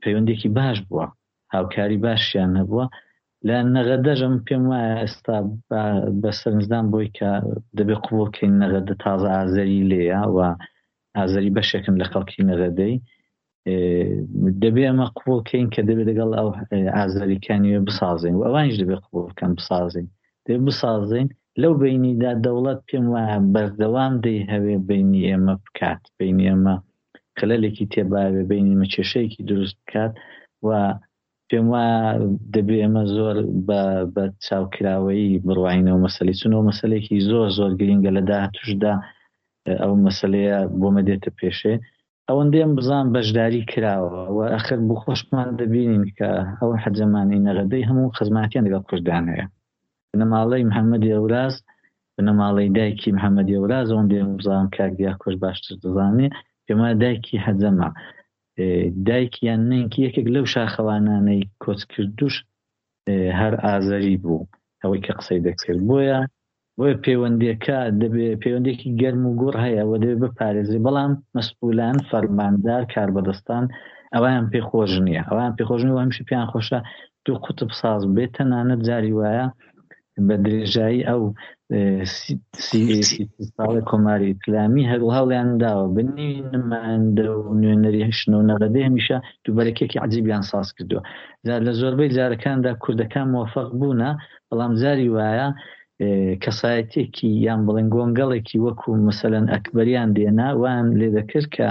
پەیوەندێکی باش بووە، هاوکاری باشیان هەبووە. لە نەغەدەش ئەمن پێم وایە ئێستا بە سەرنجدان بۆی کە دەبێ قبوڵ کەین نەغەدە تازە ئازەری لێیە و ئازەری بەشێکن لە خەڵکی نەغەدەی دەبێ ئەمە قبوڵ کەین کە دەبێت لەگەڵ ئەو ئازەریکانی بسازین و ئەوانیش دەبێت قبوڵ بکەن بسازین دەبێت بسازین لەو بینیدا دەوڵەت پێم وایە بەردەوام دەیهەوێ بینی ئێمە بکات بینی ئێمە خللێکی تێباوێ بینی ئێمە کێشەیەکی دروست بکات و پێم وایە دەبێ ئێمە زۆر بە بە چاوکراوەیی بڕواینەوە مەسەلەی چون ئەو مەسەلەیەکی زۆر زۆر گرینگە لە داهاتوشدا ئەو مەسەلەیە بۆمە دێتە پێشێ ئەوەندەی ئەم بزان بەشداری کراوە و ئەخر بۆ خۆشمان دەبینین کە ئەو حەجەمانەی نەغەدەی هەموو خزماتیان لەگەڵ کوردان هەیە بنەماڵەی محەممەدی ئەوراز بنەماڵەی دایکی محەممەدی ئەوراز ئەوەندەی ئەم بزانم کاک دیاکۆش باشتر دەزانێ پێم وایە دایکی حەجەمە دایک یان نەنکی یەکێک لەو شاخەوانانەی کۆچکردوش هەر ئازەری بوو ئەوەی کە قسەی دەکرد بۆیە بۆیە پەیوەندیەکە دەبێ پەیوەندێکی گەرم و گوڕ هەیە و دەبێ بپارێزرێ بەڵام مەسئولان فەرماندار کاربەدەستان ئەویان پێ خۆش نییە ئەویان پێ خۆش نییە و هەمیشە پێیان خۆشە دوو قوتب ساز بێت تەنانەت جاری وایە بە درێژایی ئەو ساڵی کۆماری ئیسلامی هەر هەوڵیان داوە بنی نمایندە و نوێنەری شنۆ و نەغەدەی هەمیشە دووبەرەکێکی عجیبیان ساز کردووە لە زۆربەی جارەکاندا کوردەکان مۆفەق بوونە بەڵام جاری وایە کەسایەتێکی یان بڵێن گۆنگەڵێکی وەکو مەسەلەن ئەکبەریان دێنا وان لێ دەکرد کە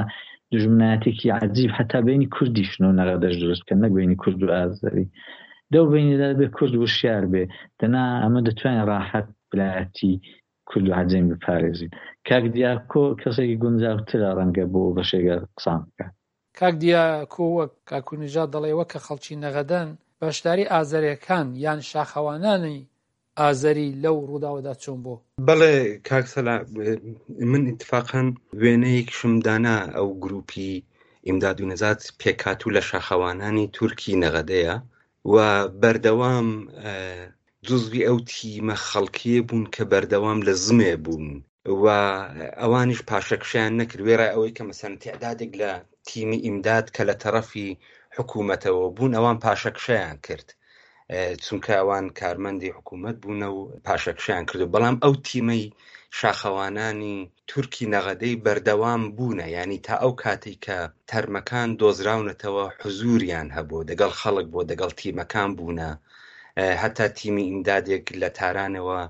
دوژمنایەتێکی عجیب حتا بینی کوردیشن و نەغەدەش دروست بکەن نەک بینی کورد و ئازەری دەو بینیدا بێ کورد وشیار بێ دەنا ئەمە دەتوانین ڕاحەت برایەتی کورد و عەجەمی بپارێزین کاک دیاکۆ کەسێکی گونجاوترە ڕەنگە بۆ بەشێگە قسان بکات. کاک دیاکۆ وەک کاک کوردنژاد دەڵێ وەک کە خەڵکی نەغەدەن بەشداری ئازەرێکان یان شاخەوانانی ئازەری لەو ڕووداوەدا چۆن بۆ؟ بەڵێ کاک سەلا من ئیتفاقەن وێنەیەکیشم دانا ئەو گروپی ئیمداد و نەجات پێکهاتوو لە شاخەوانانی تورکی نەغەدەیە و بەردەوام جزوی ئەو تیمە خەڵکیە بوون کە بەردەوام لە زمێ بوون و ئەوانیش پاشەکشیان نەکرد وێڕای ئەوەی کە مەسەن تعدادێک لە تیمی ئیمداد کە لە تەڕەفی حکوومەتەوە بوون ئەوان پاشەکشەیان کرد چونکە ئەوان کارمەندی حکوومەت بوونە و پاشەکشیان کردو بەڵام ئەو تیمەی شاخەوانانی تورکی نەغەدەی بەردەوام بوونە یعنی تا ئەو کاتێک کە تەرمەکان دۆزراونەتەوە حزوریان هەبوو دەگەڵ خەڵک بۆ دەگەڵ تیمەکان بوونە هەتا تیمی ئیمدادێک لە تارانەوە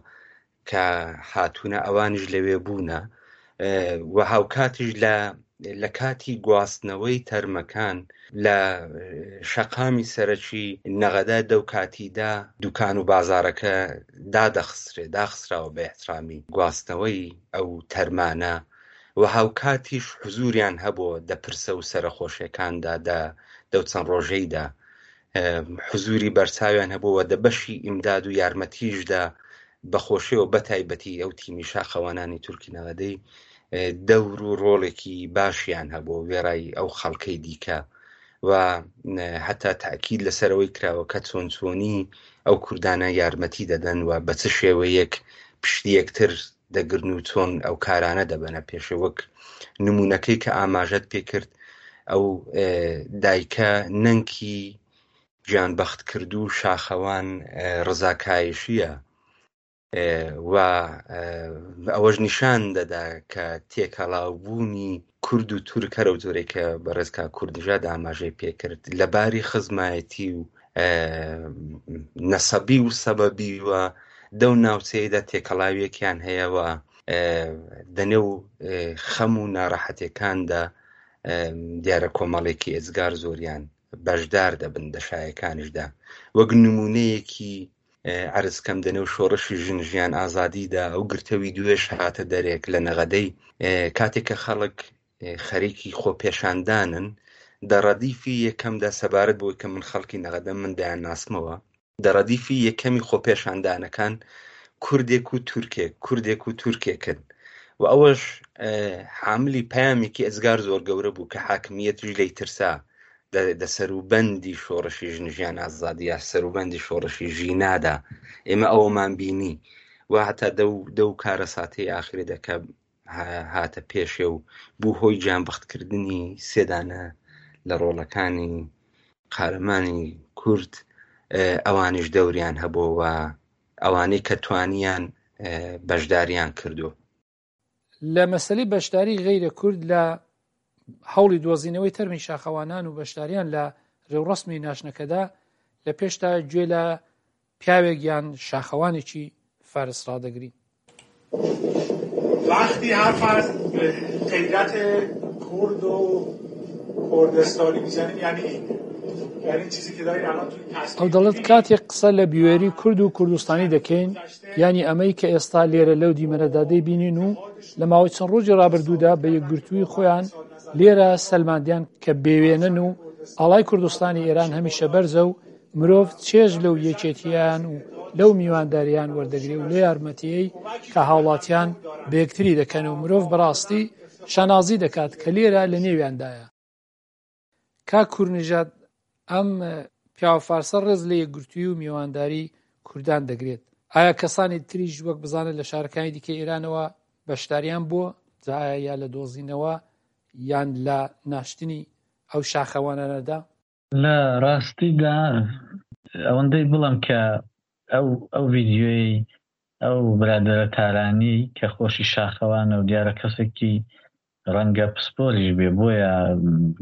کە هاتوونە ئەوانیش لەوێ بوونە و هاوکاتیش لە لە کاتی گواستنەوەی تەرمەکان لە شەقامی سەرەکی نەغەدە دەو کاتیدا دوکان و بازارەکە دادەخسرێ داخسراوە بە احترامی گواستنەوەی ئەو تەرمانە و هاوکاتیش حزوریان هەبوو دە پرسە و سەرەخۆشیەکاندا دە دەو چەند ڕۆژەیدا حزوری بەرچاویان هەبوو و دە بەشی ئیمداد و یارمەتیشدا بەخۆشیەوە بەتایبەتی ئەو تیمی شاخەوانانی تورکی نەغەدەی دەور و ڕۆڵێکی باشیان هەبوو وێڕای ئەو خەڵکەی دیکە و هەتا تاکید لەسەرەوەی کراوە کە چۆن چۆنی ئەو کوردانە یارمەتی دەدەن و بە چ شێوەیەک پشتی یەکتر دەگرن و چۆن ئەو کارانە دەبەنە پێشێ وەک نمونەکەی کە ئاماژەت پێکرد ئەو دایکە نەنکی گیانبەختکردوو شاخەوان ڕزا کایشییە و ئەوەش نیشان دەدا کە تێکەڵاوبوونی کورد و تورک هەر ئەو جۆرەی کە بەڕێز کاک کوردنژاد ئاماژەی پێکرد لە باری خزمایەتی و نەسەبی و سەبەبی و دەو ناوچەیەدا تێکەڵاویەکیان هەیە و دەنێو خەم و ناڕەحەتەکاندا دیارە کۆمەڵێکی ئێجگار زۆریان بەشدار دەبن دە شایەکانیشدا وەک نمونەیەکی عەرز کەم دەنێو شۆڕشی ژن ژیان ئازادیدا ئەو گرتەوی دوێش هاتە دەرێک لە نەغەدەی کاتێک کە خەڵک خەریکی خۆپێشاندانن دە ڕەدیفی یەکەمدا سەبارەت بۆی کە من خەڵکی نەغەدەم من دەیان ناسمەوە دە ڕەدیفی یەکەمی خۆپێشاندانەکان کوردێک و تورکێک کوردێک و تورکێکن و ئەوەش حاملی پەیامێکی ئەزگار زۆر گەورە بوو کە حاکمیەتیش لێی ترسا دە سەروبەندی شۆڕشی ژن ژیان ئازادی یا سەروبەندی شۆڕشی ژینادا ئێمە ئەوەمان بینی و هەتا دەو دەو کارەساتەی ئاخرێ دەکە. هاتە پێشێ و بوو هۆی گیانبەختکردنی سێدانە لە ڕۆڵەکانی قارەمانی کورد ئەوانیش دەوریان هەبووە و ئەوانەی کە توانیان بەشداریان کردو. لە مەسەلەی بەشداری غەیرە کورد لە هەوڵی دۆزینەوەی تەرمی شاخەوانان و بەشداریان لە رێوڕەسمی ناشتنەکەدا، لە پێشتا گوێ لە پیاوێک یان شاخەوانێکی فارس ڕادەگرین. وقتی حرف از غیرت کورد و کوردستانی میزنیم یعنی این یعنی چیزی که دارین الان تو این ئەو دەڵێت کاتێک قسە لە بوێری کورد و کوردستانی دەکەین یانی ئەمەی کە ئێستا لێرە لەو دیمەنەدا دەیبینین و لە ماوەی چەند ڕۆژی ڕابردوودا بە یەکگرتووی خۆیان لێرە سەلماندیان کە بێوێنەن و ئاڵای کوردستانی ئێران هەمیشە بەرزە و مرۆڤ چێژ لەو یەکێتییان و لەو میوانداریان وەردەگرێ و لە یارمەتیی کە هاوڵاتیان بە یەکتری دەکەن و مرۆڤ بەڕاستی شانازی دەکات کە لێرە لە نێویاندایە. کاک کورنژاد ئەم پیاوە فارسە ڕێز لە یەکگرتووی و میوانداری کوردان دەگرێت. ئایا کەسانی تریش وەک بزانە لە شارەکانی دیکەی ئێرانەوە بەشداریان بووە؟ جا ئایا یا لە دۆزینەوە یان لە ناشتنی ئەو شاخەوانانەدا؟ لە ڕاستیدا ئەوەندەی بڵێم کە ئەو ئەو ڤیدیۆیەی ئەو برادەرە تارانیەی کە خۆشی شاخەوانە و دیارە کەسێکی ڕەنگە پسپۆریش بێ بۆیە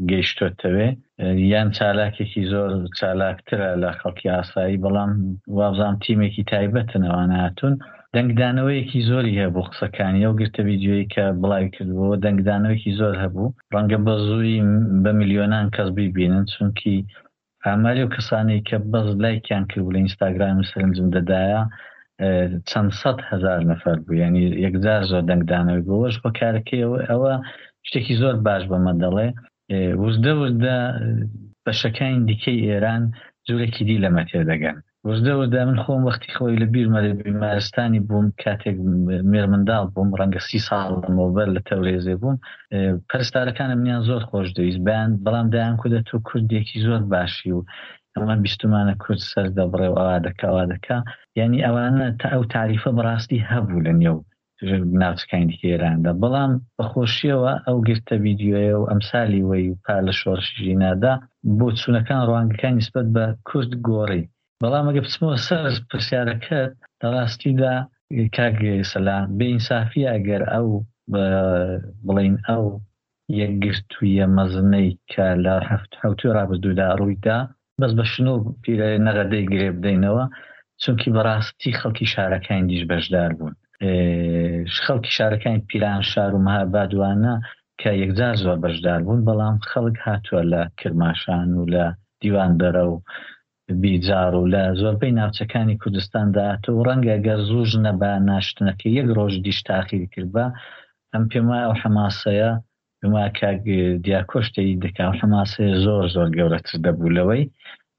گەیشتۆتەوێ یان چالاکێکی زۆر چالاکترە لە خەڵکی ئاسایی بەڵام وابزانم تیمێکی تایبەتن ئەوانە هاتوون دەنگدانەوەیەکی زۆری هەبوو قسەکانی ئەو گرتە ڤیدیۆیی کە بڵاوی کردبووەوە دەنگدانەوەیەکی زۆر هەبوو ڕەنگە بە زووی بە ملیۆنان کەس بیبینن چونکی ئاماری ئەو کەسانەی کە بەس لایکیان کردبوو لە ئینستاگرام و سەرنجم دەدایە چەند 100,000 نەفەر بوو یعنی یەکجار زۆر دەنگدانەوەی بۆ ئەوەش هۆکارەکەی ئەوە شتێکی زۆر باش بەمە دەڵێ وردە وردە بەشەکانی دیکەی ئێران جورێکی دی لەمە تێدەگەن. وردە وردە من خۆم وەختی خۆی لە بیرمە لە بیمارستانی بووم کاتێک مێرمنداڵ بووم ڕەنگە سی ساڵ لەمەوبەر لە تەورێزێ بووم پەرستارەکانم منیان زۆر خۆش دەویست بەیان بەڵام دەیان کوتە تۆ کوردێکی زۆر باشی و ئەمە بیستومانە کورد سەر دەبڕێ و ئەوا دەکا ئەوا دەکا یانی ئەوانە تا ئەو تاریفە بەڕاستی هەبوو لە نێو ناوچەکانی دیکەی ئێراندا، بەڵام بە خۆشییەوە ئەو گرتە ڤیدیۆیە و ئەمسالی وەی و پار لە شۆڕشی ژینادا بۆچوونەکان ڕوانگەکان نیسبەت بە کورد گۆڕی. بەڵام ئەگەر بچمەوە سەر پرسیارەکەت لە ڕاستیدا کاک سەلام بێ ئینسافییە ئەگەر ئەو بڵێین ئەو یەکگرتوویە مەزنەی کە لە حەوتووی ڕابردوودا ڕووی دا، بەس بە شنۆ و پیرە نەغەدەی گرێ بدەینەوە، چونکی بەڕاستی خەڵکی شارەکانی دیش بەشدار بوون. خەڵکی شارەکانی پیرانشار و مهاباد وانە کە یەکجار زۆر بەشدار بوون، بەڵام خەڵک هاتووە لە کرماشان و لە دیواندەرە و بیجاڕ و لە زۆربەی ناوچەکانی کوردستاندا هاتووە و ڕەنگە گەر زووش نەبا ناشتنەکەی یەک ڕۆژ دیش تاخیری کردبا، ئەم پێم وایە ئەو حەماسەیە پێم وایە کاک دیاکۆش تەیید دەکا ئەو حەماسەیە زۆر زۆر گەورەتر دەبوو لەوەی،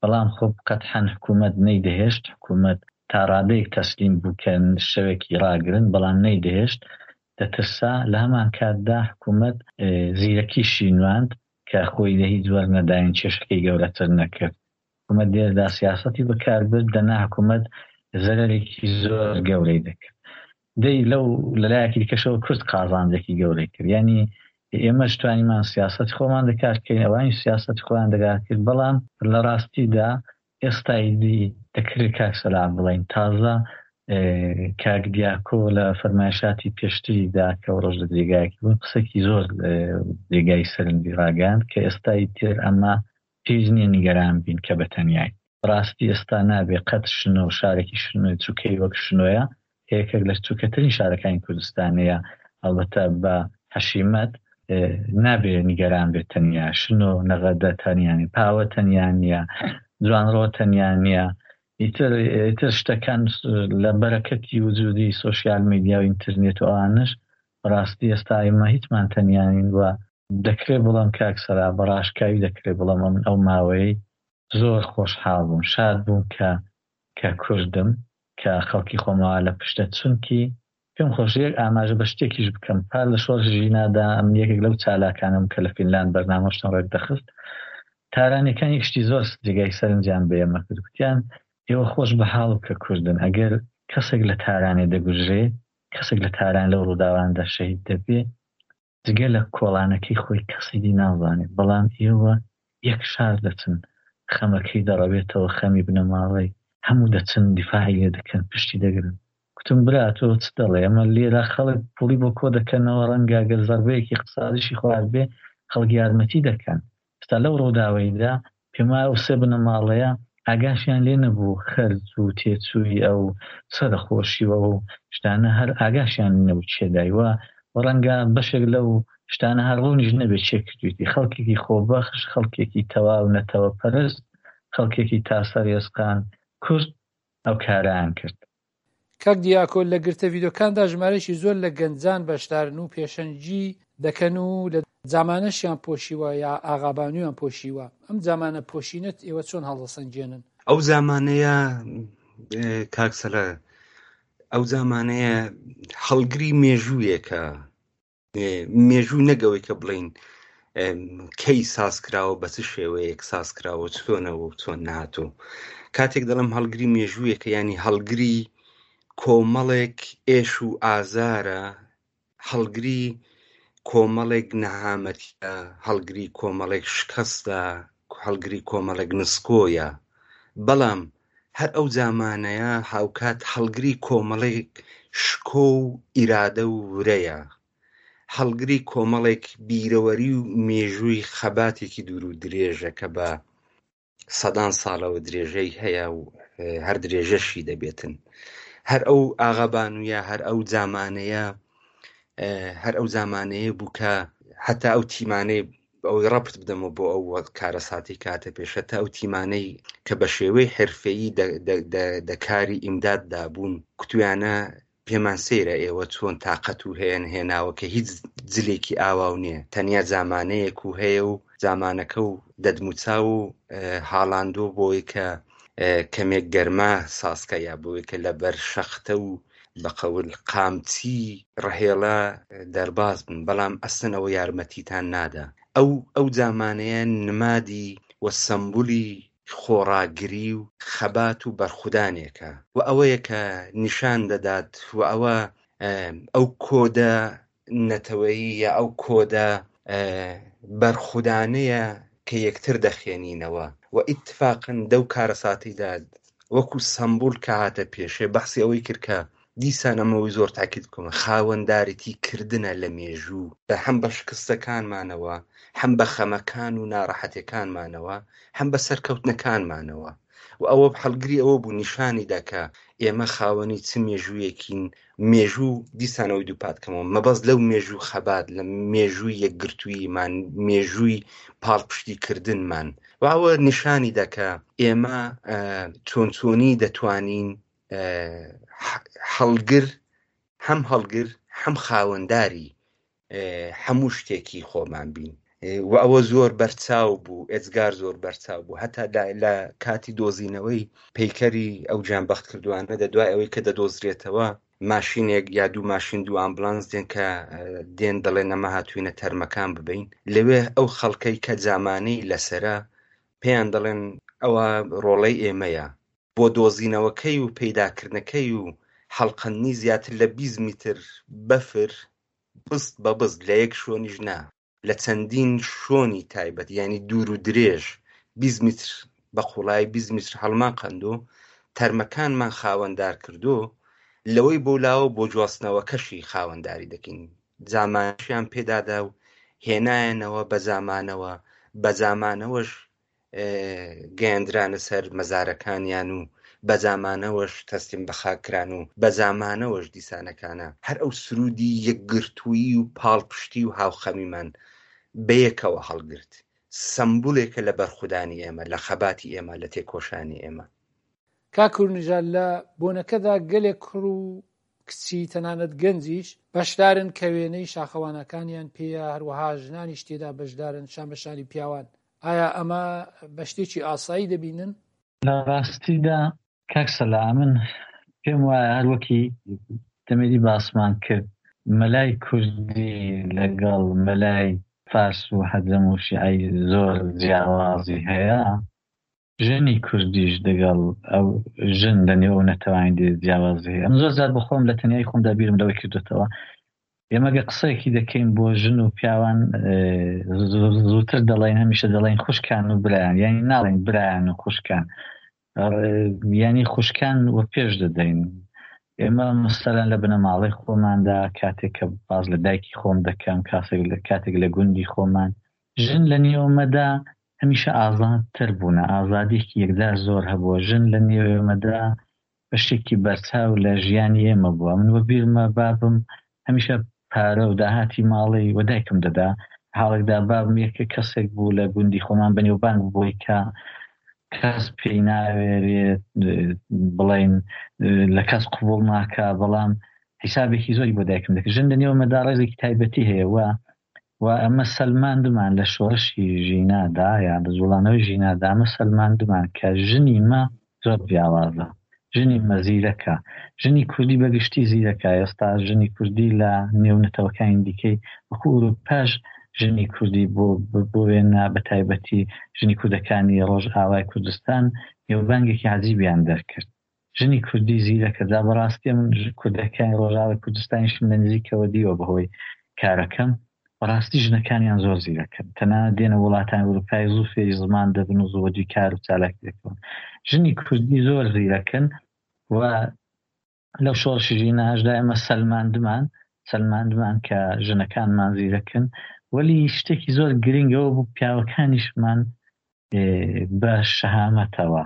بەڵام خۆ قەتحەن حکوومەت نەیدەهێشت، حکوومەت تا ڕادەیەک تەسلیم بوو کە شەوێکی ڕاگرن، بەڵام نەیدەهێشت، دەترسا، لە هەمانکاتدا حکوومەت زیرەکیشی نواند کە خۆی لە هیچ وەرنەداین کێشەکەی گەورەتر نەکرد. حکومەت لێرەدا سیاسەتی بەکار برد، دەنا حکومەت زەرەرێکی زۆر گەورەی دەکرد. دەی لەو لەلایەکی دیکەشەوە کورد قازانجێکی گەورەی کرد. یانی ئێمەش توانیمان سیاسەتی خۆمان دەکار بکەین، ئەوانیش سیاسەتی خۆیان دەگار کرد، بەڵام لە ڕاستیدا ئێستا ئیدی دەکرێت کاک سەلاح بڵێین تازە کاک دیاکۆ لە فەرمایشاتی پێشتریدا کە ڕۆژ لە جێگایەکی بوون قسەکی زۆر جێگای سەرنجی ڕاگەیاند کە ئێستا ئیتر ئەمە پێویست نییە نیگەران بین کە بە تەنیاین. بەڕاستی ئێستا نابێ قەت شنۆ شارێکی شنۆ چوکەی وەک شنۆیە کە یەکێک لە چوکەترین شارەکانی کوردستانەیە ئەڵبەتە بە حەشیمەت نابێ نیگەران بێت تەنیا شنۆ نەغەدە تەنیا نیە پاوە تەنیا نییە جوانڕۆ تەنیا نییە ئیتر ئیتر شتەکان لە بەرەکەتی وجودی سۆشیال میدیا و ئینترنێت و ئەوانەش بەڕاستی ئێستا ئێمە هیچمان تەنیا نین و دەکرێ بڵێم کاک سەرا بە ڕاشکاوی دەکرێ بڵێم ئەمن ئەو ماوەیەی زۆر خۆشحاڵ بووم شاد بووم کە کە کوردم کە خەڵکی خۆمەوە لە پشتە چونکی پێم خۆشە یەک ئاماژە بە شتێکیش بکەم پار لە شۆڕشی ژینادا ئەمن یەکێک لەو چالاکانەم کە لە فینلاند بەرنامەشتم ڕێک دەخست تارانیەکان یەک شتی زۆر جێگای سەرنجیان بە ئێمە کرد گوتیان ئێوە خۆش بە حاڵ کە کوردن ئەگەر کەسێک لە تارانێ دەگوژرێ. کەسێک لە تاران لەو ڕووداواندا شەهید دەبێ جگە لە کۆڵانەکەی خۆی کەسی دی نازانێت، بەڵام ئێوە یەک شار دەچن خەمەکەی دەڕەوێتەوە خەمی بنەماڵەی هەموو دەچن دیفاعی لێ دەکەن پشتی دەگرن. کوتم برا تۆ چ دەڵێی ئەمە لێرە خەڵک پوڵی بۆ کۆ دەکەنەوە ڕەنگە گەر زەربەیەکی اقتصادیشی خواردبێ خەڵک یارمەتی دەکەن ئێستا لەو ڕووداوەیدا پێم وایە ئەو سێ بنەماڵەیە ئاگاشیان لێ نەبوو خەرج و تێچووی ئەو سەرەخۆشی و ئەو شتانە هەر ئاگاشیان لێ نەبوو کێ دای و ڕەنگە بەشێک لەو شتانە هەر ڕوونیش نەبێت کێ کردوویەتی خەڵکێکی خۆبەخش خەڵکێکی تەواو نەتەوەپەرست خەڵکێکی تا سەر ئێسقان کورد ئەو کارەیان کرد. کاک دیاکۆ لە گرتە ڤیدۆکاندا ژمارەیەکی زۆر لە گەنجان بەشدارن و پێشەنگی دەکەن و لە جامانەشیان پۆشیوە یا ئاغابانویان پۆشیوە ئەم جامانە پۆشینەت ئێوە چۆن هەڵدەسەنگێنن؟ ئەو زامانەیە کاک سەلا ئەو زامانەیە هەڵگری مێژوویەکە مێژوو نەک ئەوەی کە بڵین کەی ساز کراوە بە چ شێوەیەک ساز کراوە چۆنەوە و چۆن نهاتوو کاتێک دەڵم هەڵگری مێژوویەکە ینی هەڵگری کۆمەڵێک ئێش و ئازارە هەڵگری کۆمەڵێک نەهامەتە هەڵگری کۆمەڵێک شکستە هەڵگری کۆمەڵێک نسکۆیە بەڵام هەر ئەو زامانەیە هاوکات هەڵگری کۆمەڵێک شکۆ و ئیرادە و ورەیە، هەڵگری کۆمەڵێک بیرەوەری و مێژووی خەباتێکی دوور و درێژە کە بە سەدان ساڵەوە درێژەی هەیە و هەر درێژەشی دەبێتن. هەر ئەو ئاغابانوویە، هەر ئەو زامانەیە، هەر ئەو زامانەیە بوو کە هەتا ئەو تیمانەی ئەوەی ڕەبت بدەمەوە بۆ ئەو کارەساتی کاتە پێش هەتا ئەو تیمانەی کە بە شێوەی حرفەیی دەکاری ئیمداد دابوون کوتویانە پێمان سەیرە ئێوە چۆن تاقەت و هەیەن هێناوە کە هیچ جلێکی ئاواو نییە تەنیا زامانەیەک و هەیە و زامانەکە و دەدموچاو و هاڵاندۆ بۆی کە کەمێک گەرما سازکە یا بۆی کە لەبەر شەختە و بە قەول قامچی ڕەهێڵە دەرباز بن بەڵام ئەسڵەن ئەوە یارمەتیتان نادا ئەو ئەو جامانەیە نمادی و سەمبولی خۆڕاگری و خەبات و بەرخودانێکە و ئەوەیە کە نیشان دەدات و ئەوە ئەو کۆدە نەتەوەیی یا ئەو کۆدە بەرخودانەیە کە یەکتر دەخێنینەوە و ئیتفاقەن دەو کارەساتەیدا وەکو سەمبول کە هاتە پێشێ بەحسی ئەوەی کرد کە دیسان ئەمەوەی زۆر تاکید بکەمە خاوەندارێتی کردنە لە مێژوو بە هەم بە شکستەکانمانەوە هەم بە خەمەکان و ناڕەحەتەکانمانەوە هەم بە سەرکەوتنەکانمانەوە و ئەوە هەڵگری ئەوە بوو نیشانی دا کە ئێمە خاوەنی چ مێژوویەکین مێژوو دیسانەوەی دووپات کەمەوە مەبەست لەو مێژوو خەبات لە مێژووی یەکگرتوویمان مێژووی پاڵپشتی کردنمان و ئەوە نیشانی دا کە ئێمە چۆن چۆنی دەتوانین هەڵگر هەم هەڵگر هەم خاوەنداری هەموو شتێکی خۆمان بین و ئەوە زۆر بەرچاو بوو ئێجگار زۆر بەرچاو بوو هەتا لە کاتی دۆزینەوەی پەیکەری ئەو گیانبەخت کردوانە دە دوای ئەوەی کە دەدۆزرێتەوە ماشینێک یا دوو ماشین دوو ئامبلانس دێن کە دێن دەڵێن ئەمە هاتوینە تەرمەکان ببین لەوێ ئەو خەڵکەی کە جامانەی لەسرە پێیان دەڵێن ئەوە ڕۆڵەی ئێمەیە بۆ دۆزینەوەکەی و پەیداکردنەکەی و حەڵقەندنی زیاتر لە 20 میتر بەفر بست بە بست لە یەک شۆنیش نا لە چەندین شۆنی تایبەت یانی دوور و درێژ 20 میتر بە قوڵایی 20 میتر هەڵمان قەندۆ تەرمەکانمان خاوەندار کردۆ لەوەی بۆ لاوە بۆ جواستنەوەکەشی خاوەنداری دەکەین جامانشیان پێدادا و هێنایەنەوە بە جامانەوە بە جامانەوەش گەیەندرانە سەر مەزارەکانیان و بە جامانەوەش تەسلیم بە خاک کران و بە جامانەوەش دیسانەکانە هەر ئەو سروودی یەکگرتوویی و پاڵپشتی و هاوخەمیمان بەیەکەوە هەڵگرت. سەمبولێکە لە بەرخودانی ئێمە، لە خەباتی ئێمە، لە تێکۆشانی ئێمە. کاک کورنژاد لە بۆنەکەدا گەلێک کوڕ و کچی تەنانەت گەنجیش بەشدارن کە وێنەی شاخەوانەکانیان پێیە، هەروەها ژنانیش تێدا بەشدارن شان بە شانی پیاوان. ئایا ئەمە بە شتێکی ئاسایی دەبینن؟ لە ڕاستیدا کاک سەلا من پێم وایە هەر وەکی دەمێدی باسمان کرد مەلای کوردی لەگەڵ مەلای فارس و حەجەم و شیعەی زۆر جیاوازی هەیە. ژنی کوردیش دەگەڵ ئەو ژن لە نێو ئەو نەتەوانی دی جیاوازی هەیە. ئەمن زۆر جار بۆ خۆم لە تەنیایی خۆمدا بیرم لەوە کردۆتەوە ئێمە گە قسەیەکی دەکەین بۆ ژن و پیاوان زووتر دەڵێن هەمیشە دەڵێن خوشکان و برایان یانی ناڵێن برایان و خوشکان یانی خوشکان وە پێش دەدەین ئێمە مەسەلەن لە بنەماڵەی خۆماندا کاتێک کە باز لە دایکی خۆم دەکەم کاسێک لە کاتێک لە گوندی خۆمان ژن لە نێومەدا هەمیشە ئازادتر بوونە، ئازادیەکی یەکجار زۆر هەبووە، ژن لە نێو ئێمەدا بەشێکی بەرچاو لە ژیانی ئێمە بووە، من وەبیرمە بابم هەمیشە پارە و داهاتی ماڵی وە دایکم دەدا، حاڵێکدا بابم یەکێک کەسێک بوو لە گوندی خۆمان بەنێوبانگ بوو بۆی کە کەس پێی ناوێرێت بڵێین لە کەس قبوڵ ناکا، بەڵام حیسابێکی زۆری بۆ دایکم دەکرد، ژن لە نێو ئێمەدا ڕێزێکی تایبەتی هەیە و و ئەمە سەلماندمان لە شۆڕشی ژینادا یا لە جوڵانەوەی ژینادا ئەمە سەلماندمان کە ژنی مە زۆر جیاوازە ژنی مە زیرەکە ژنی کوردی بە گشتی زیرەکە ئێستا ژنی کوردی لە نێو نەتەوەکانی دیکەی وەکو ئوروپاش ژنی کوردی بۆ بۆ وێنە بە تایبەتی ژنی کوردەکانی ڕۆژئاوای کوردستان نێوبانگێکی عەجیبیان دەرکرد ژنی کوردی زیرەکە جا بەڕاستی من کوردەکانی ڕۆژاوای کوردستانیشم لە نزیکەوە دیوە بەهۆی کارەکەم بەڕاستی ژنەکانیان زۆر زیرەکەن تەنانەت دێنە وڵاتانی ئەوروپای زوو فێری زمان دەبن و زوو وەدوی کار و چالاکی دەکەون ژنی کوردی زۆر زیرەکن و لەو شۆڕشی ژیناشدا ئێمە سەلماندمان سەلماندمان کە ژنەکانمان زیرەکن وەلی شتێکی زۆر گرنگەوە بوو پیاوەکانیشمان بە شەهامەتەوە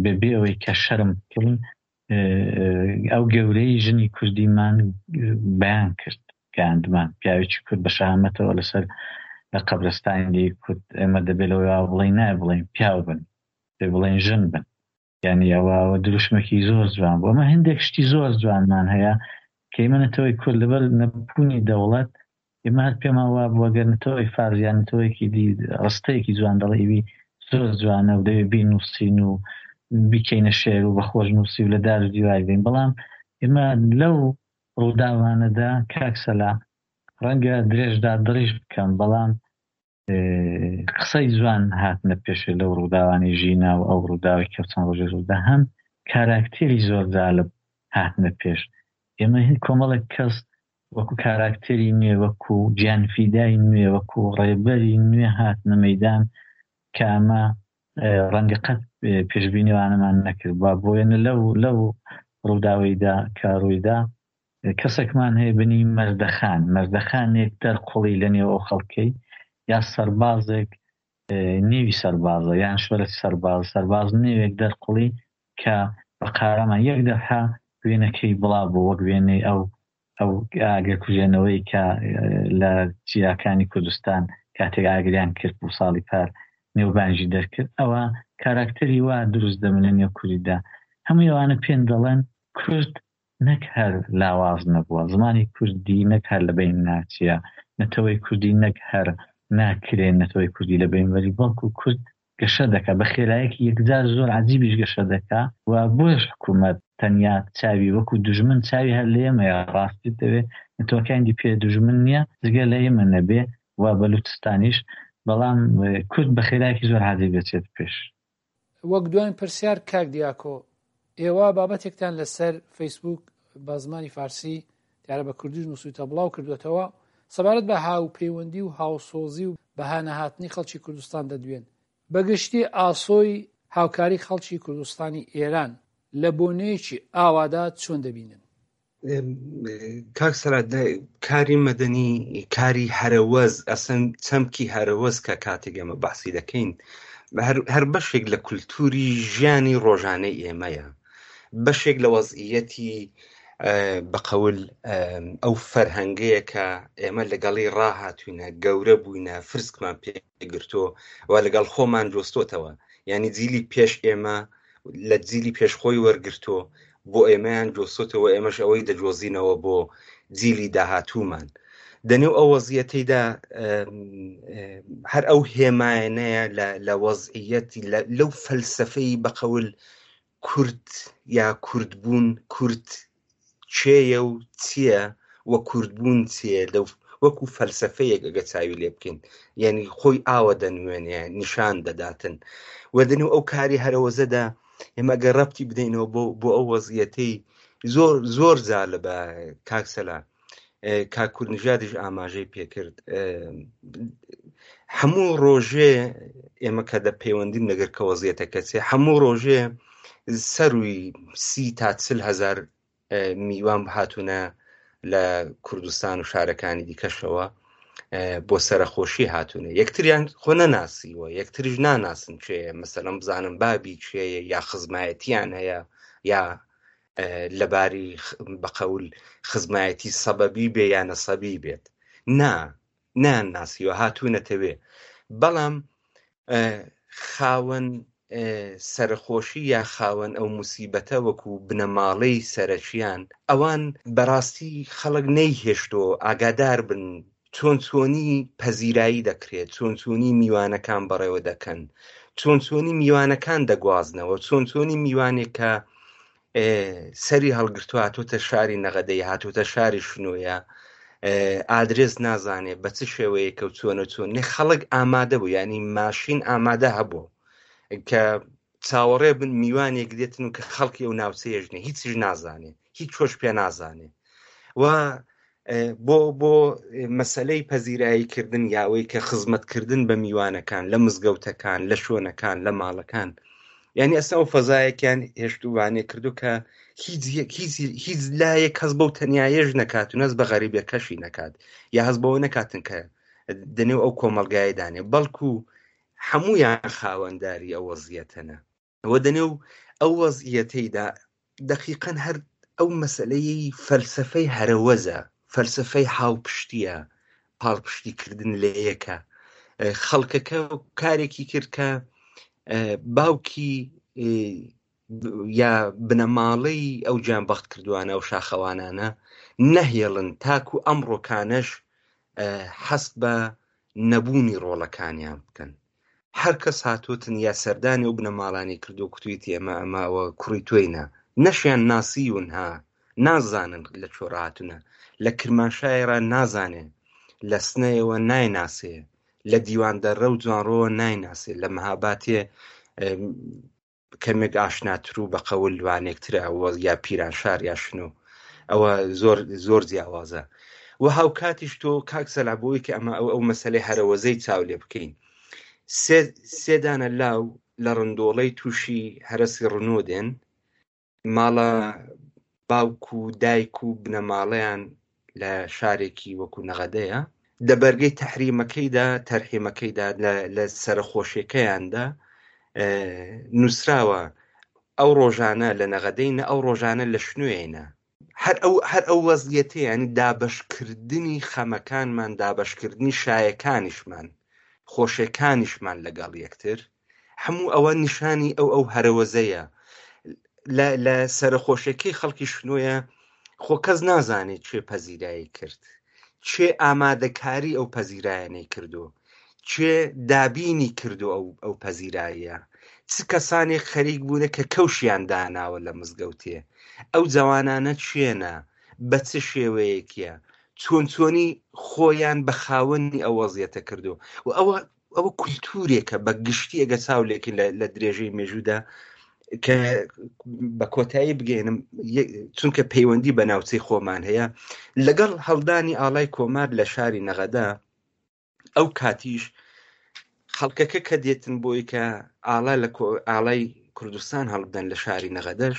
بەبێ ئەوەی کە شەرم بکەین ئەو گەورەی ژنی کوردیمان بەیان کرد گەیاندمان پیاوێکی کورد بە شەهامەتەوە لەسەر لە قەبرستانی کورد ئێمە دەبێت لەوە بڵێین نایە بڵێین پیاو بن دەبێ بڵێین ژن بن یعنی ئەوە ئەوە دروشمێکی زۆر جوان بوو ئەمە هەندێک شتی زۆر جوانمان هەیە کە ئێمە نەتەوەی کورد لەبەر نەبوونی دەوڵەت ئێمە هەر پێمان وابووە گەر نەتەوەی فارس یان نەتەوەیەکی دی ڕستەیەکی جوان دەڵێ ئیوی زۆر جوانە و دەوێ بینووسین و بیکەینە شێر و بە خۆشنووسی و لە دار و دیوار بین بەڵام ئێمە لەو ڕووداوانەدا کاک سەلا ڕەنگە درێژدا دڕیش بکەم بەڵام قسەی جوان هاتنە پێشێ لەو ڕووداوانەی ژینا و ئەو ڕووداوەی کە چەند ڕۆژێ ڕوودا هەم کاراکتێری زۆر جالب هاتنە پێش ئێمە هین کۆمەڵێک کەس وەکو کاراکتێری نوێ وەکو گیانفیدای نوێ وەکو ڕێبەری نوێ هاتنە مەیدان کە ئەمە ڕەنگە قەت پێشبینی ئەوانەمان نەکرد با بۆیەنە لەو لەو ڕووداوەیدا کە ڕوویدا کەسێکمان هەیە بنی مەردەخان، مەردەخانێک دەرقوڵی لە نێو ئەو خەڵکەی یا سەربازێک نێوی سەربازە یان شۆرەتی سەرباز، سەرباز نێوێک دەرقوڵی کە بە قارەمان یەک دەفعە وێنەکەی بڵاو بوو وەک وێنەی ئەو ئەو ئاگرکوژێنەوەی کە لە چیاکانی کوردستان کاتێک ئاگریان کرد بوو ساڵی پار نێوبانگی دەرکرد ئەوە کاراکتەری وا دروست دەبن لە نێو کوردیدا هەمووی ئەوانە پێن دەڵێن کورد نەک هەر لاواز نەبووە، زمانی کوردی نەک هەر لە بەین ناچیە، نەتەوەی کوردی نەک هەر ناکرێ نەتەوەی کوردی لە بەین بەری، بەڵکو کورد گەشە دەکا، بە خێرایەکی یەکجار زۆر عەجیبیش گەشە دەکا و بۆیەش حکوومەت تەنیا چاوی وەکوو دوژمن چاوی هەر لە ئێمەیە، ڕاستیت دەوێ نەتەوەکانی دی پێ دوژمن نییە جگە لە ئێمە نەبێ و بەلوچستانیش، بەڵام کورد بە خێرایەکی زۆر عەجیب دەچێتە پێش. وەک دواین پرسیار کاک دیاکۆ ئێوە بابەتێکتان لەسەر فەیسبوک بە زمانی فارسی دیارە بە کوردیش نووسویتە بڵاو کردوێتەوە سەبارەت بە هاوپەیوەندی و هاوسۆزی و بەهانەهاتنی خەڵکی کوردستان دەدوێن بەگشتی ئاسۆی هاوکاری خەڵکی کوردستانی ئێران لە بۆنەیەکی ئاوادا چۆن دەبینن؟ کاک سەرات کاری مەدەنی کاری هەرەوەز ئەسن چەمکی هەرەوەز کە کاتێک ئێمە باسی دەکەین هەر بەشێک لە کولتوری ژیانی ڕۆژانەی ئێمەیە بەشێک لە وەزعیەتی بەقەول ئەو فەرهەنگەیە کە ئێمە لەگەڵی ڕاهاتوینە گەورە بووینە فرسکمان پێ گرتووە و لەگەڵ خۆمان جۆستۆتەوە یعنی جیلی پێش ئێمە لە جیلی پێش خۆی وەرگرتووە بۆ ئێمەیان جۆستۆتەوە ئێمەش ئەوەی دەجۆزینەوە بۆ جیلی داهاتوومان دەنێو ئەو وەزیەتەیدا هەر ئەو هێمایەنەیە لە وەزعیەتی لەو فەلسفەی بەقەول کورد یا کوردبوون کورد کێیە و چییە و کوردبوون چییە لەو وەکو فەلسەفەیەک ئەگە چاوی لێ بکەین یعنی خۆی ئاوە دەنوێنێ نیشان دەداتن و دەنێو ئەو کاری هەرەوەزەدا ئێمە گەر ڕەبتی بدەینەوە بۆ بۆ ئەو وەزیەتەی زۆر زۆر جالبە کاک سەلا کاک کوردنژادیش ئاماژەی پێکرد هەموو ڕۆژێ ئێمە کە دە پەیوەندیم لەگەر کە وەزیەتەکە چێ هەموو ڕۆژێ سەروی سی تا چل هزار میوان هاتوونە لە کوردستان و شارەکانی دیکەشەوە بۆ سەرەخۆشی هاتوونە یەکتریان خۆ نەناسیوە یەکتریش ناناسن چێ مەسەلەن بزانم بابی چێیە یا خزمایەتیان هەیە یا لەباری بەقەول خزمایەتی سەبەبی بێ یا نەسەبی بێت نا نان ناسیوە هاتوونەتەوێ بەڵام خاوەن سەرخۆشی یا خاوەن ئەو موسیبەتە وەکو بنەماڵەی سەرەکیان ئەوان بەڕاستی خەڵک نەیهێشتۆ ئاگادار بن چۆن چۆنی پەزیرایی دەکرێت چۆن چۆنی میوانەکان بەڕێوە دەکەن چۆن چۆنی میوانەکان دەگوازنەوە چۆن چۆنی میوانێک کە سەری هەڵگرتووە هاتووتە شاری نەغەدەی هاتووتە شاری شنۆیە ئادرس نازانێ بە چ شێوەیەکە و چۆنە چۆن نێ خەڵک ئامادە بوو ینی ماشین ئامادە هەبوو کە چاوەڕێ بن میوانێک دێتن و کە خەڵکی ئەو ناوچەیەژنێ هیچیش نازانێ هیچ چۆش پێ نازانێ و بۆ بۆ مەسلەی پەزیرایی کردن یاوەی کە خزمەتکردن بە میوانەکان لە مزگەوتەکان لە شوێنەکان لە ماڵەکان یعنی ئەستا ئەو فەزایەکیان هێشتوانێ کردو کە هیچ هیچ هیچ لایەک هەز بەو تەنیایەش نەکات و نەز بە غەریبەکەشی نەکات یا هەز بەوە نەکاتن کە دەنێو ئەو کۆمەلگای دانێ بەڵکو هەمویان خاوەنداری ئەو وەزیەتەنە ئەوە دەنێو ئەو وەزعیەتەیدا دەقیقەن هەر ئەو مەسەلەیەی فەلسەفەی هەرەوەزە، فەلسەفەی هاوپشتییە، پاڵپشتیکردن لە یەکە. خەڵکەکە کارێکی کرد کە باوکی یا بنەماڵەی ئەو گیانبەخت کردوانە ئەو شاخەوانانە نەهێڵن تاکو ئەمڕۆکانەش حەست بە نەبوونی ڕۆڵەکانیان بکەن. هەر کەس هاتوتن یا سەردانی ئەو بنەماڵانەی کردووە کوتویتی ئەمە ئەمە ئەوە کوڕی تۆینە نەشیان ناسیون ها نازانن لە کوێ ڕاهاتونە لە کرمانشایەڕا نازانێ لە سنەیەوە نایناسێ لە دیواندەڕە و جوانڕۆوە نایناسێ لە مەهاباتێ کەمێک ئاشناتر و بە قەول وانێکترە وە یا پیرانشار یا شنۆ ئەوە زۆر زۆر جیاوازە و هاوکاتیش تۆ کاک سەلا بۆی کە ئەمە ئەو ئەو مەسلەی هەرەوەزەی چاو لێ بکەین سێ سێدانە لاو لە ڕندۆڵەی تووشی هەرەسی ڕنۆ دێن ماڵە باوک و دایک و بنەماڵەیان لە شارێکی وەکو نەغەدەیە دە بەرگەی تەحریمەکەیدا تەرحیمەکەیدا لە سەرەخۆشیەکەیاندا نووسراوە ئەو ڕۆژانە لە نەغەدەینە ئەو ڕۆژانە لە شنوێینە هەر ئەو هەر ئەو وەزیەتە ینی دابەشکردنی خەمەکانمان دابەشکردنی شایەکانیشمان خۆشیەکانیشمان لەگەڵ یەکتر هەموو ئەوە نیشانی ئەو ئەو هەرەوەزەیە لە لە سەرەخۆشیەکەی خەڵکی شنۆیە خۆ کەس نازانێت چێ پەزیرایی کرد چێ ئامادەکاری ئەو پەزیرایانەی کردو چێ دابینی کردو ئەو ئەو پەزیراییە چ کەسانێک خەریک بوونە کە کەوشیان داناوە لە مزگەوتێ ئەو جەوانانە چێنە بە چ شێوەیەکیە چۆن چۆنی خۆیان بە خاوەنی ئەو وەزیەتە کردو و ئەوە ئەوە کولتورێکە بە گشتی ئەگە چاو لێکن لە درێژەی مێژوودا کە بە کۆتایی بگەێنم چونکە پەیوەندی بە ناوچەی خۆمان هەیە لەگەڵ هەڵدانی ئاڵای کۆمار لە شاری نەغەدا ئەو کاتیش خەڵکەکە کە دێتن بۆی کە ئاڵا لە ئاڵای کوردستان هەڵبدەن لە شاری نەغەدەش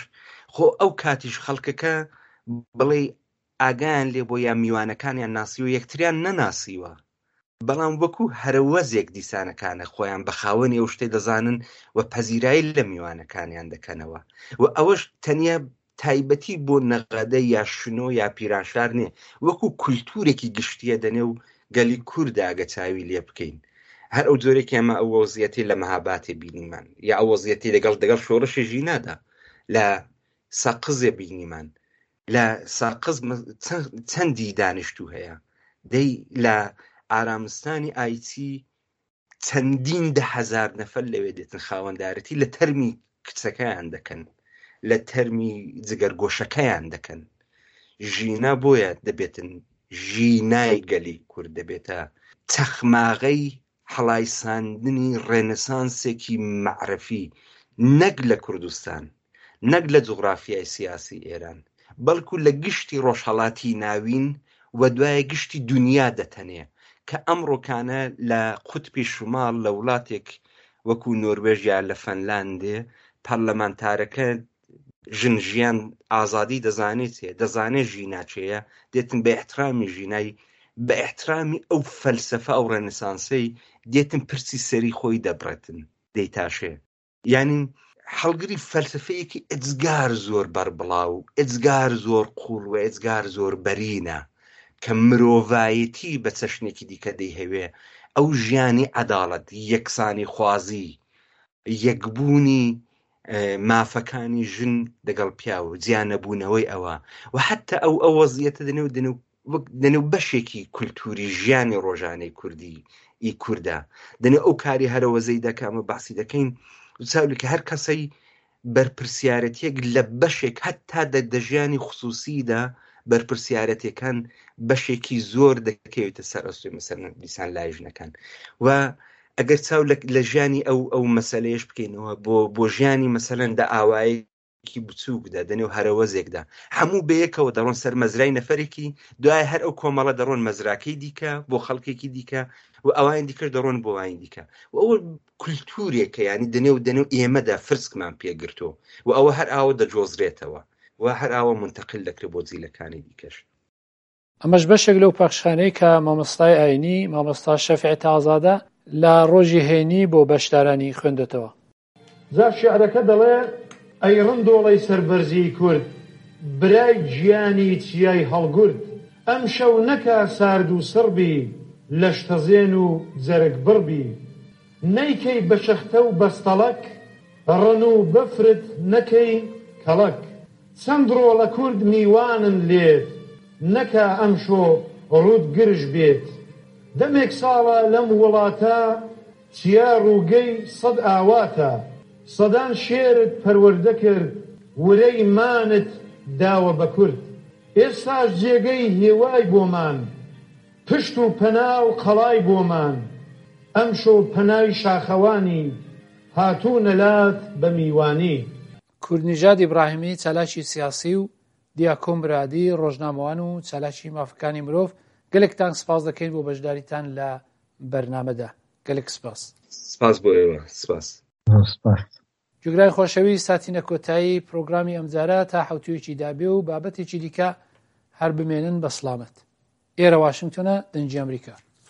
خۆ ئەو کاتیش خەڵکەکە بڵێ ئاگایان لێ بۆ یا میوانەکانیان ناسیوە یەکتریان نەناسیوە بەڵام وەکو هەرەوەزێک دیسانەکانە خۆیان بە خاوەنی ئەو شتەی دەزانن و پەزیرایی لە میوانەکانیان دەکەنەوە و ئەوەش تەنیا تایبەتی بۆ نەغەدە یا شنۆ یا پیرانشار نییە وەکو کولتوورێکی گشتیە دەنێو گەلی کووردا ئەگە چاوی لێ بکەین هەر ئەو جۆرێکی ئەمە ئەو وەزیەتی لە مەهاباتێ بینیمان یا ئەو وەزیەتی لەگەڵ دەگەڵ شۆڕشی ژینادا لە سەقزێ بینیمان لە سەقز چەندی دانیشتوو هەیە دەی لە ئارامستانی ئایچی چەندین ده هەزار نەفەر لەوێ دێتن خاوەندارەتی لە تەرمی کچەکەیان دەکەن لە تەرمی جگەرگۆشەکەیان دەکەن ژینا بۆیە دەبێتن. ژینای گەلی کورد، دەبێتە چەخماغەی هەڵایساندنی ڕێنسانسێکی مەعرەفی نەک لە کوردستان، نەک لە جوغرافیای سیاسی ئێران، بەڵکو لە گشتی ڕۆژهەڵاتی ناوین و دوایە گشتی دونیا دەتەنێ کە ئەمڕۆکانە لە قوتبی شوماڵ لە وڵاتێک وەکو نۆروێژ یا لە فەنلاندێ پەرلەمانتارەکە ژن ژیان ئازادی دەزانێ چێ دەزانێ ژینا چێیە دێتن بە ئیحترامی ژینای بە ئیحترامی ئەو فەلسەفە ئەو ڕێنسانسەی دێتن پرسی سەری خۆی دەبڕێتن دەیتاشێ یانی هەڵگری فەلسفەیەکی ئێجگار زۆر بەربڵاو ئێجگار زۆر قوڵ و ئێجگار زۆر بەرینە کە مرۆڤایەتی بە چەشنێکی دیکە دەیهەوێ ئەو ژیانی عەداڵەت یەکسانی خوازی یەکبوونی مافەکانی ژن دەگەڵ پیاو جیانەبوونەوەی ئەوە و حتا ئەو ئەو وەزیەتە دەنێو دەنێو وەک دەنێو بەشێکی کولتوری ژیانی ڕۆژانەی کوردی ئی کوردە دەنێو ئەو کاری هەرەوەزەی دەکە ئەمە باسی دەکەین چاولی کە هەر کەسەی بەرپرسیارەتێک لە بەشێک هەتا دە دەژیانی خصوصیدا بەرپرسیارەتەکان بەشێکی زۆر دەکەوێتە سەر ئەستۆی مەسەلەن دیسان لای ژنەکان و ئەگەر چاو لە ژیانی ئەو ئەو مەسەلەیەش بکەینەوە بۆ بۆ ژیانی مەسەلەن دە ئاوایەکی بچووکدا دەنێو هەرەوەزێکدا هەموو بەیەکەوە دەڕۆن سەر مەزرای نەفەرێکی دوای هەر ئەو کۆمەڵە دەڕۆن مەزراکەی دیکە بۆ خەڵکێکی دیکە و ئەوانی دیکەش دەڕۆن بۆ ئەوانی دیکە و ئەوە کولتورێکە ینی دەنێو دەنێو ئێمەدا فرسکمان پێگرتو و ئەوە هەر ئاوە دەجۆزرێتەوە و هەر ئاوە منتەقل دەکرێت بۆ جیلەکانی دیکەش. ئەمەش بەشێک لەو پەخشانەی کە مامۆستای ئاینی، مامۆستا شەفیع تازادە لە ڕۆژی هەینی بۆ بەشدارانی خوێندۆتەوە. جا شیعرەکە دەڵێ، ئەی ڕندۆڵەی سەربەرزیی کورد، برای گیانی چیای هەڵگورد، ئەمشەو نەکا سارد و سڕ بی، لەشتەزێن و جەرگ بڕ بی. نەیکەی بە شەختە و بەستەڵەک، ڕنوو بەفرت نەکەی کەڵەک. چەند ڕۆڵە کورد میوانن لێت، نەکا ئەمشۆ ڕووت گرژ بێت. دەمێک ساڵە لەم وڵاتە، چیا ڕووگەی سەد ئاواتە. سەدان شێرت پەروەردە کرد، ورەی مانت داوە بە کورد. ئێستاش جێگەی هیوای بۆمان، پشت و پەنا و قەڵای بۆمان. ئەمشۆ پەنای شاخەوانی، هاتوونە لات بە میوانی. کوردنژاد ئیبراهیمی چالاکی سیاسی و دیاکۆ مرادی ڕۆژنامەوان و چالاکی مافەکانی مرۆڤ گەلێکتان سپاس دەکەین بۆ بەشداریتان لە بەرنامەدا گەلێک سپاس. سپاس بۆ ئێوە سپاس. سپاس. جوگرای خۆشەویست هاتینە کۆتایی پرۆگرامی ئەمجارە تا حەوتوویەکی دابێ و بابەتێکی دیکە هەر بمێنن بە سڵامەت. ئێرە واشنگتۆنە دەنگی ئەمریکا.